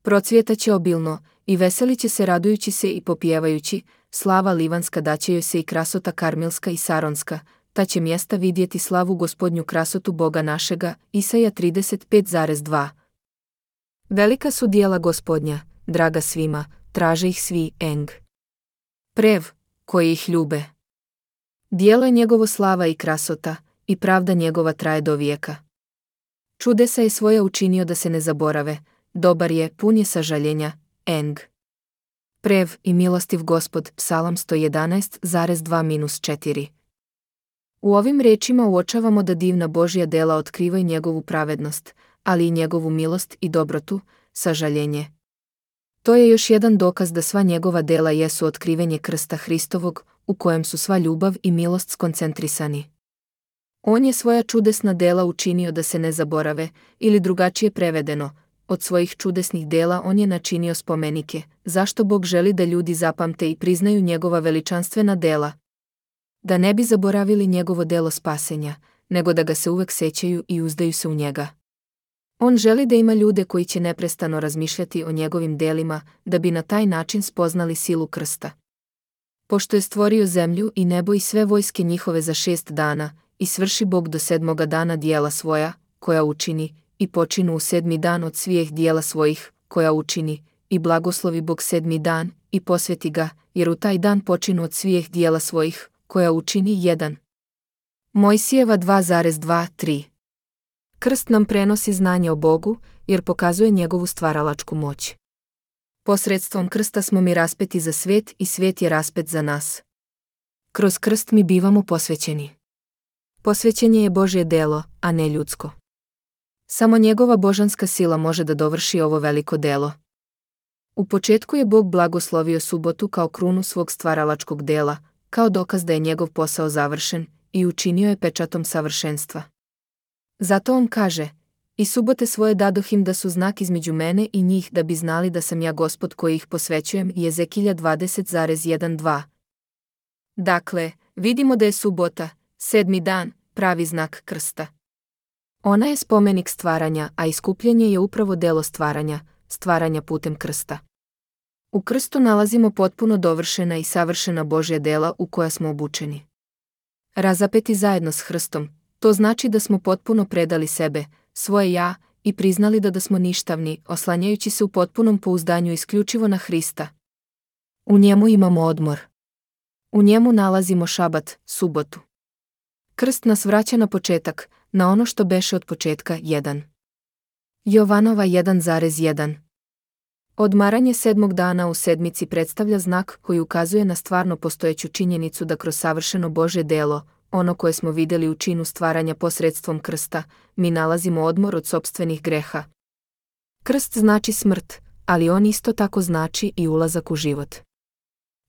Procvjetaće obilno, i veseliće se radujući se i popjevajući, slava livanska daće joj se i krasota karmelska i saronska, ta će mjesta vidjeti slavu Gospodnju krasotu Boga našega. Isaja trideset pet dva. Velika su dijela Gospodnja, draga svima, traže ih svi. Eng. Prev, koji ih ljube. Dijelo je njegovo slava i krasota, i pravda njegova traje do vijeka. Čudesa je svoja učinio da se ne zaborave, dobar je, pun je sažaljenja. Eng. Prev i milostiv Gospod. Psalam sto jedanaest dva četiri. U ovim rečima uočavamo da divna Božja dela otkrivaju njegovu pravednost, ali i njegovu milost i dobrotu, sažaljenje. To je još jedan dokaz da sva njegova dela jesu otkrivenje krsta Hristovog, u kojem su sva ljubav i milost skoncentrisani. On je svoja čudesna dela učinio da se ne zaborave, ili drugačije prevedeno, od svojih čudesnih dela on je načinio spomenike, zašto Bog želi da ljudi zapamte i priznaju njegova veličanstvena dela. Da ne bi zaboravili njegovo delo spasenja, nego da ga se uvek sećaju i uzdaju se u njega. On želi da ima ljude koji će neprestano razmišljati o njegovim delima, da bi na taj način spoznali silu krsta. Pošto je stvorio zemlju i nebo i sve vojske njihove za šest dana, i svrši Bog do sedmoga dana dijela svoja, koja učini, i počinu u sedmi dan od svih dijela svojih, koja učini, i blagoslovi Bog sedmi dan, i posveti ga, jer u taj dan počinu od svih dijela svojih, koja učini. jedan. Mojsijeva dva dva tri. Krst nam prenosi znanje o Bogu, jer pokazuje njegovu stvaralačku moć. Posredstvom krsta smo mi raspeti za svet i svet je raspet za nas. Kroz krst mi bivamo posvećeni. Posvećenje je Božje delo, a ne ljudsko. Samo njegova božanska sila može da dovrši ovo veliko delo. U početku je Bog blagoslovio subotu kao krunu svog stvaralačkog dela, kao dokaz da je njegov posao završen, i učinio je pečatom savršenstva. Zato on kaže, i subote svoje dadoh im da su znak između mene i njih, da bi znali da sam ja Gospod koji ih posvećujem. Jezekilja dvadeset jedan dva. Dakle, vidimo da je subota, sedmi dan, pravi znak krsta. Ona je spomenik stvaranja, a iskupljenje je upravo delo stvaranja, stvaranja putem krsta. U krstu nalazimo potpuno dovršena i savršena Božja dela u koja smo obučeni. Razapeti zajedno s Hristom, to znači da smo potpuno predali sebe, svoje ja, i priznali da da smo ništavni, oslanjajući se u potpunom pouzdanju isključivo na Hrista. U njemu imamo odmor. U njemu nalazimo šabat, subotu. Krst nas vraća na početak, na ono što beše od početka. jedan. Jovanova jedan jedan. Odmaranje sedmog dana u sedmici predstavlja znak koji ukazuje na stvarno postojeću činjenicu da kroz savršeno Božje delo, ono koje smo vidjeli u činu stvaranja posredstvom krsta, mi nalazimo odmor od sopstvenih greha. Krst znači smrt, ali on isto tako znači i ulazak u život.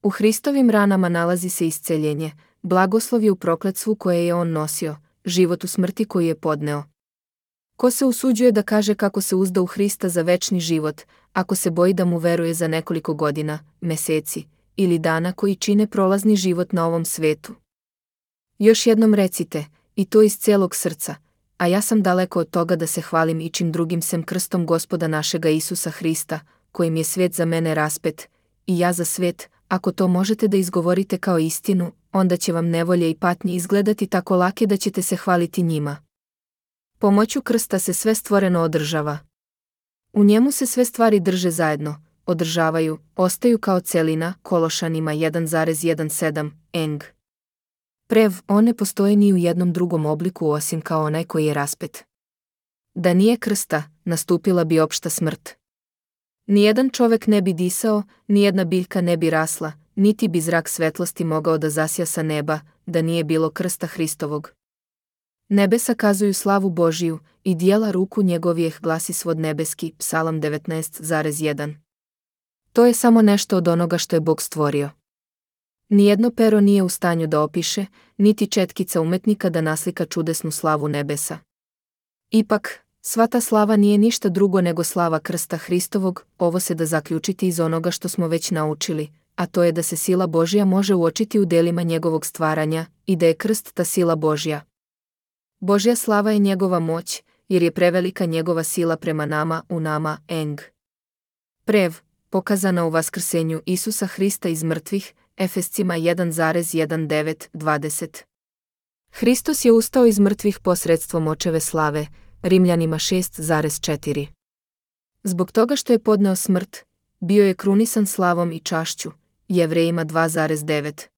U Hristovim ranama nalazi se isceljenje, blagoslov je u prokletstvu koje je on nosio, život u smrti koju je podneo. Ko se usuđuje da kaže kako se uzda u Hrista za večni život, ako se boji da mu veruje za nekoliko godina, meseci ili dana koji čine prolazni život na ovom svetu? Još jednom recite, i to iz celog srca, a ja sam daleko od toga da se hvalim ičim drugim sem krstom Gospoda našega Isusa Hrista, kojim je svet za mene raspet, i ja za svet. Ako to možete da izgovorite kao istinu, onda će vam nevolje i patnje izgledati tako lake da ćete se hvaliti njima. Pomoću krsta se sve stvoreno održava. U njemu se sve stvari drže zajedno, održavaju, ostaju kao celina, Kološanima jedan zarez sedam, eng. Prev, on ne postoji ni u jednom drugom obliku osim kao onaj koji je raspet. Da nije krsta, nastupila bi opšta smrt. Nijedan čovek ne bi disao, nijedna biljka ne bi rasla, niti bi zrak svetlosti mogao da zasja sa neba, da nije bilo krsta Hristovog. Nebesa kazuju slavu Božiju, i dijela ruku njegovijeh glasi svod nebeski, Psalam devetnaest zarez jedan. To je samo nešto od onoga što je Bog stvorio. Nijedno pero nije u stanju da opiše, niti četkica umetnika da naslika čudesnu slavu nebesa. Ipak, sva ta slava nije ništa drugo nego slava krsta Hristovog, ovo se da zaključiti iz onoga što smo već naučili, a to je da se sila Božja može uočiti u delima njegovog stvaranja i da je krst ta sila Božja. Božja slava je njegova moć, jer je prevelika njegova sila prema nama, u nama, eng. Prev, pokazana u vaskrsenju Isusa Hrista iz mrtvih, Efescima jedan zarez devetnaest, dvadeset. Hristos je ustao iz mrtvih posredstvom očeve slave, Rimljanima šest zarez četiri. Zbog toga što je podneo smrt, bio je krunisan slavom i čašću, Jevrejima dva zarez devet.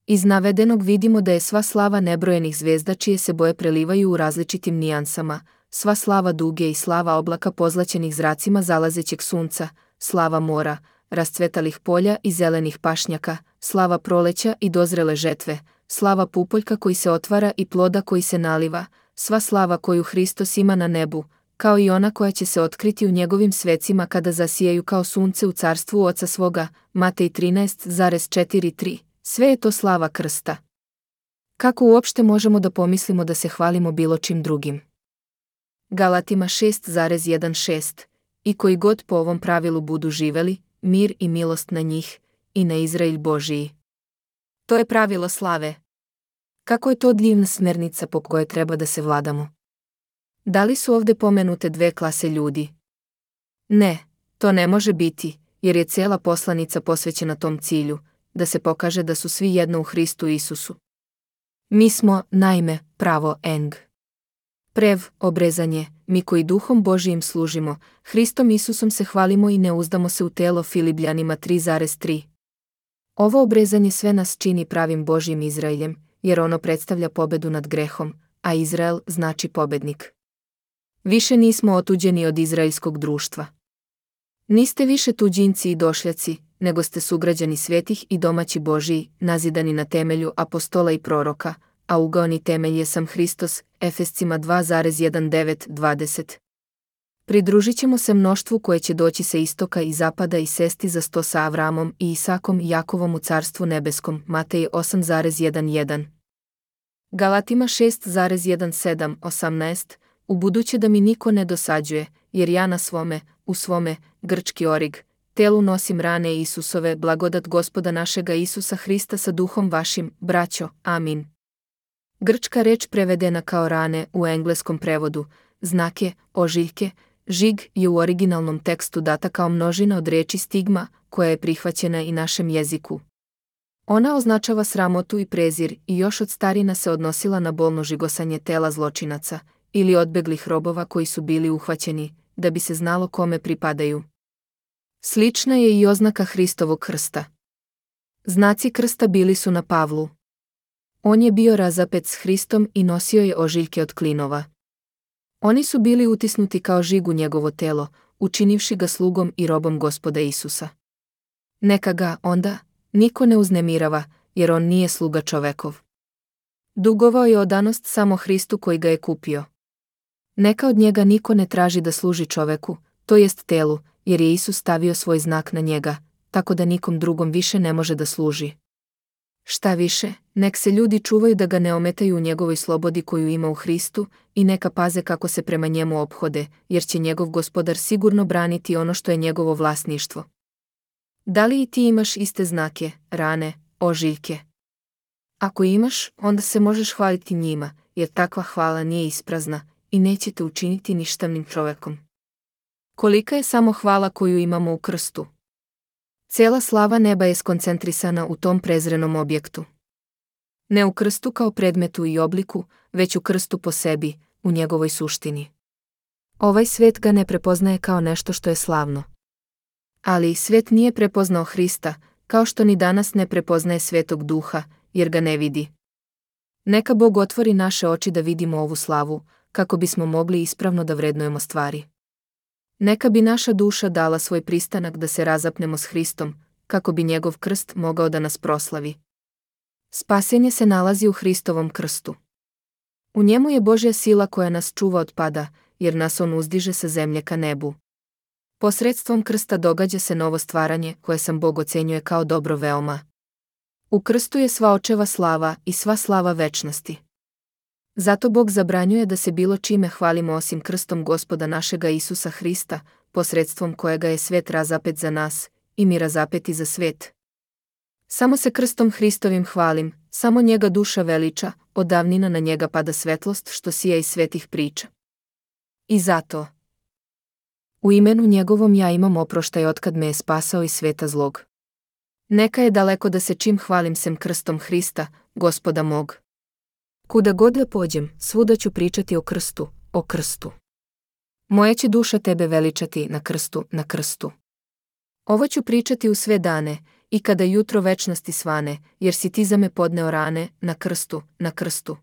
Iz navedenog vidimo da je sva slava nebrojenih zvezda čije se boje prelivaju u različitim nijansama, sva slava duge i slava oblaka pozlaćenih zracima zalazećeg sunca, slava mora, rascvetalih polja i zelenih pašnjaka, slava proleća i dozrele žetve, slava pupoljka koji se otvara i ploda koji se naliva, sva slava koju Hristos ima na nebu, kao i ona koja će se otkriti u njegovim svecima kada zasijaju kao sunce u carstvu Oca svoga, Matej trinaest zarez četrdeset tri, sve je to slava krsta. Kako uopšte možemo da pomislimo da se hvalimo bilo čim drugim? Galatima šest zarez šesnaest, i koji god po ovom pravilu budu živeli, mir i milost na njih, i na Izrael Božiji. To je pravilo slave. Kako je to divna smernica po kojoj treba da se vladamo? Da li su ovde pomenute dve klase ljudi? Ne, to ne može biti, jer je cela poslanica posvećena tom cilju, da se pokaže da su svi jedno u Hristu Isusu. Mi smo, naime, pravo eng. Prev, obrezanje, mi koji duhom Božijim služimo, Hristom Isusom se hvalimo i ne uzdamo se u telo, Filipljanima tri zarez tri. Ovo obrezanje sve nas čini pravim Božjim Izraeljem, jer ono predstavlja pobedu nad grehom, a Izrael znači pobednik. Više nismo otuđeni od izraelskog društva. Niste više tuđinci i došljaci, nego ste sugrađani svetih i domaći Božiji, nazidani na temelju apostola i proroka, a ugaoni temelj je sam Hristos, Efescima dva zarez devetnaest, dvadeset. Pridružit ćemo se mnoštvu koje će doći sa istoka i zapada i sesti za sto sa Avramom i Isakom i Jakovom u carstvu nebeskom, Matej osam zarez jedenaest. Galatima šest zarez sedamnaest, osamnaest, u buduće da mi niko ne dosađuje, jer ja na svome, u svome, grčki orig, telu nosim rane Isusove, blagodat Gospoda našega Isusa Hrista sa duhom vašim, braćo, amin. Grčka reč prevedena kao rane u engleskom prevodu, znake, ožiljke, žig je u originalnom tekstu data kao množina od reči stigma, koja je prihvaćena i našem jeziku. Ona označava sramotu i prezir i još od starina se odnosila na bolno žigosanje tela zločinaca ili odbeglih robova koji su bili uhvaćeni, da bi se znalo kome pripadaju. Slična je i oznaka Hristovog krsta. Znaci krsta bili su na Pavlu. On je bio razapet s Hristom i nosio je ožiljke od klinova. Oni su bili utisnuti kao žig u njegovo telo, učinivši ga slugom i robom Gospoda Isusa. Neka ga, onda, niko ne uznemirava, jer on nije sluga čovekov. Dugovao je odanost samo Hristu koji ga je kupio. Neka od njega niko ne traži da služi čoveku, to jest telu, jer je Isus stavio svoj znak na njega, tako da nikom drugom više ne može da služi. Šta više, nek se ljudi čuvaju da ga ne ometaju u njegovoj slobodi koju ima u Hristu i neka paze kako se prema njemu ophode, jer će njegov Gospodar sigurno braniti ono što je njegovo vlasništvo. Da li i ti imaš iste znake, rane, ožiljke? Ako imaš, onda se možeš hvaliti njima, jer takva hvala nije isprazna i neće te učiniti ništavnim čovekom. Kolika je samo hvala koju imamo u krstu? Cijela slava neba je skoncentrisana u tom prezrenom objektu. Ne u krstu kao predmetu i obliku, već u krstu po sebi, u njegovoj suštini. Ovaj svet ga ne prepoznaje kao nešto što je slavno. Ali svet nije prepoznao Hrista, kao što ni danas ne prepoznaje Svetog Duha, jer ga ne vidi. Neka Bog otvori naše oči da vidimo ovu slavu, kako bismo mogli ispravno da vrednujemo stvari. Neka bi naša duša dala svoj pristanak da se razapnemo s Hristom, kako bi njegov krst mogao da nas proslavi. Spasenje se nalazi u Hristovom krstu. U njemu je Božja sila koja nas čuva od pada, jer nas on uzdiže sa zemlje ka nebu. Posredstvom krsta događa se novo stvaranje koje sam Bog ocenjuje kao dobro veoma. U krstu je sva očeva slava i sva slava večnosti. Zato Bog zabranjuje da se bilo čime hvalimo osim krstom Gospoda našega Isusa Hrista, posredstvom kojega je svet razapet za nas, i mi razapeti za svet. Samo se krstom Hristovim hvalim, samo njega duša veliča, od davnina na njega pada svetlost što sija iz svetih priča. I zato, u imenu njegovom ja imam oproštaj otkad me je spasao iz sveta zlog. Neka je daleko da se čim hvalim sem krstom Hrista, Gospoda mog. Kuda god da pođem, svuda ću pričati o krstu, o krstu. Moja će duša tebe veličati na krstu, na krstu. Ovo ću pričati u sve dane, i kada jutro večnosti svane, jer si ti za me podneo rane, na krstu, na krstu.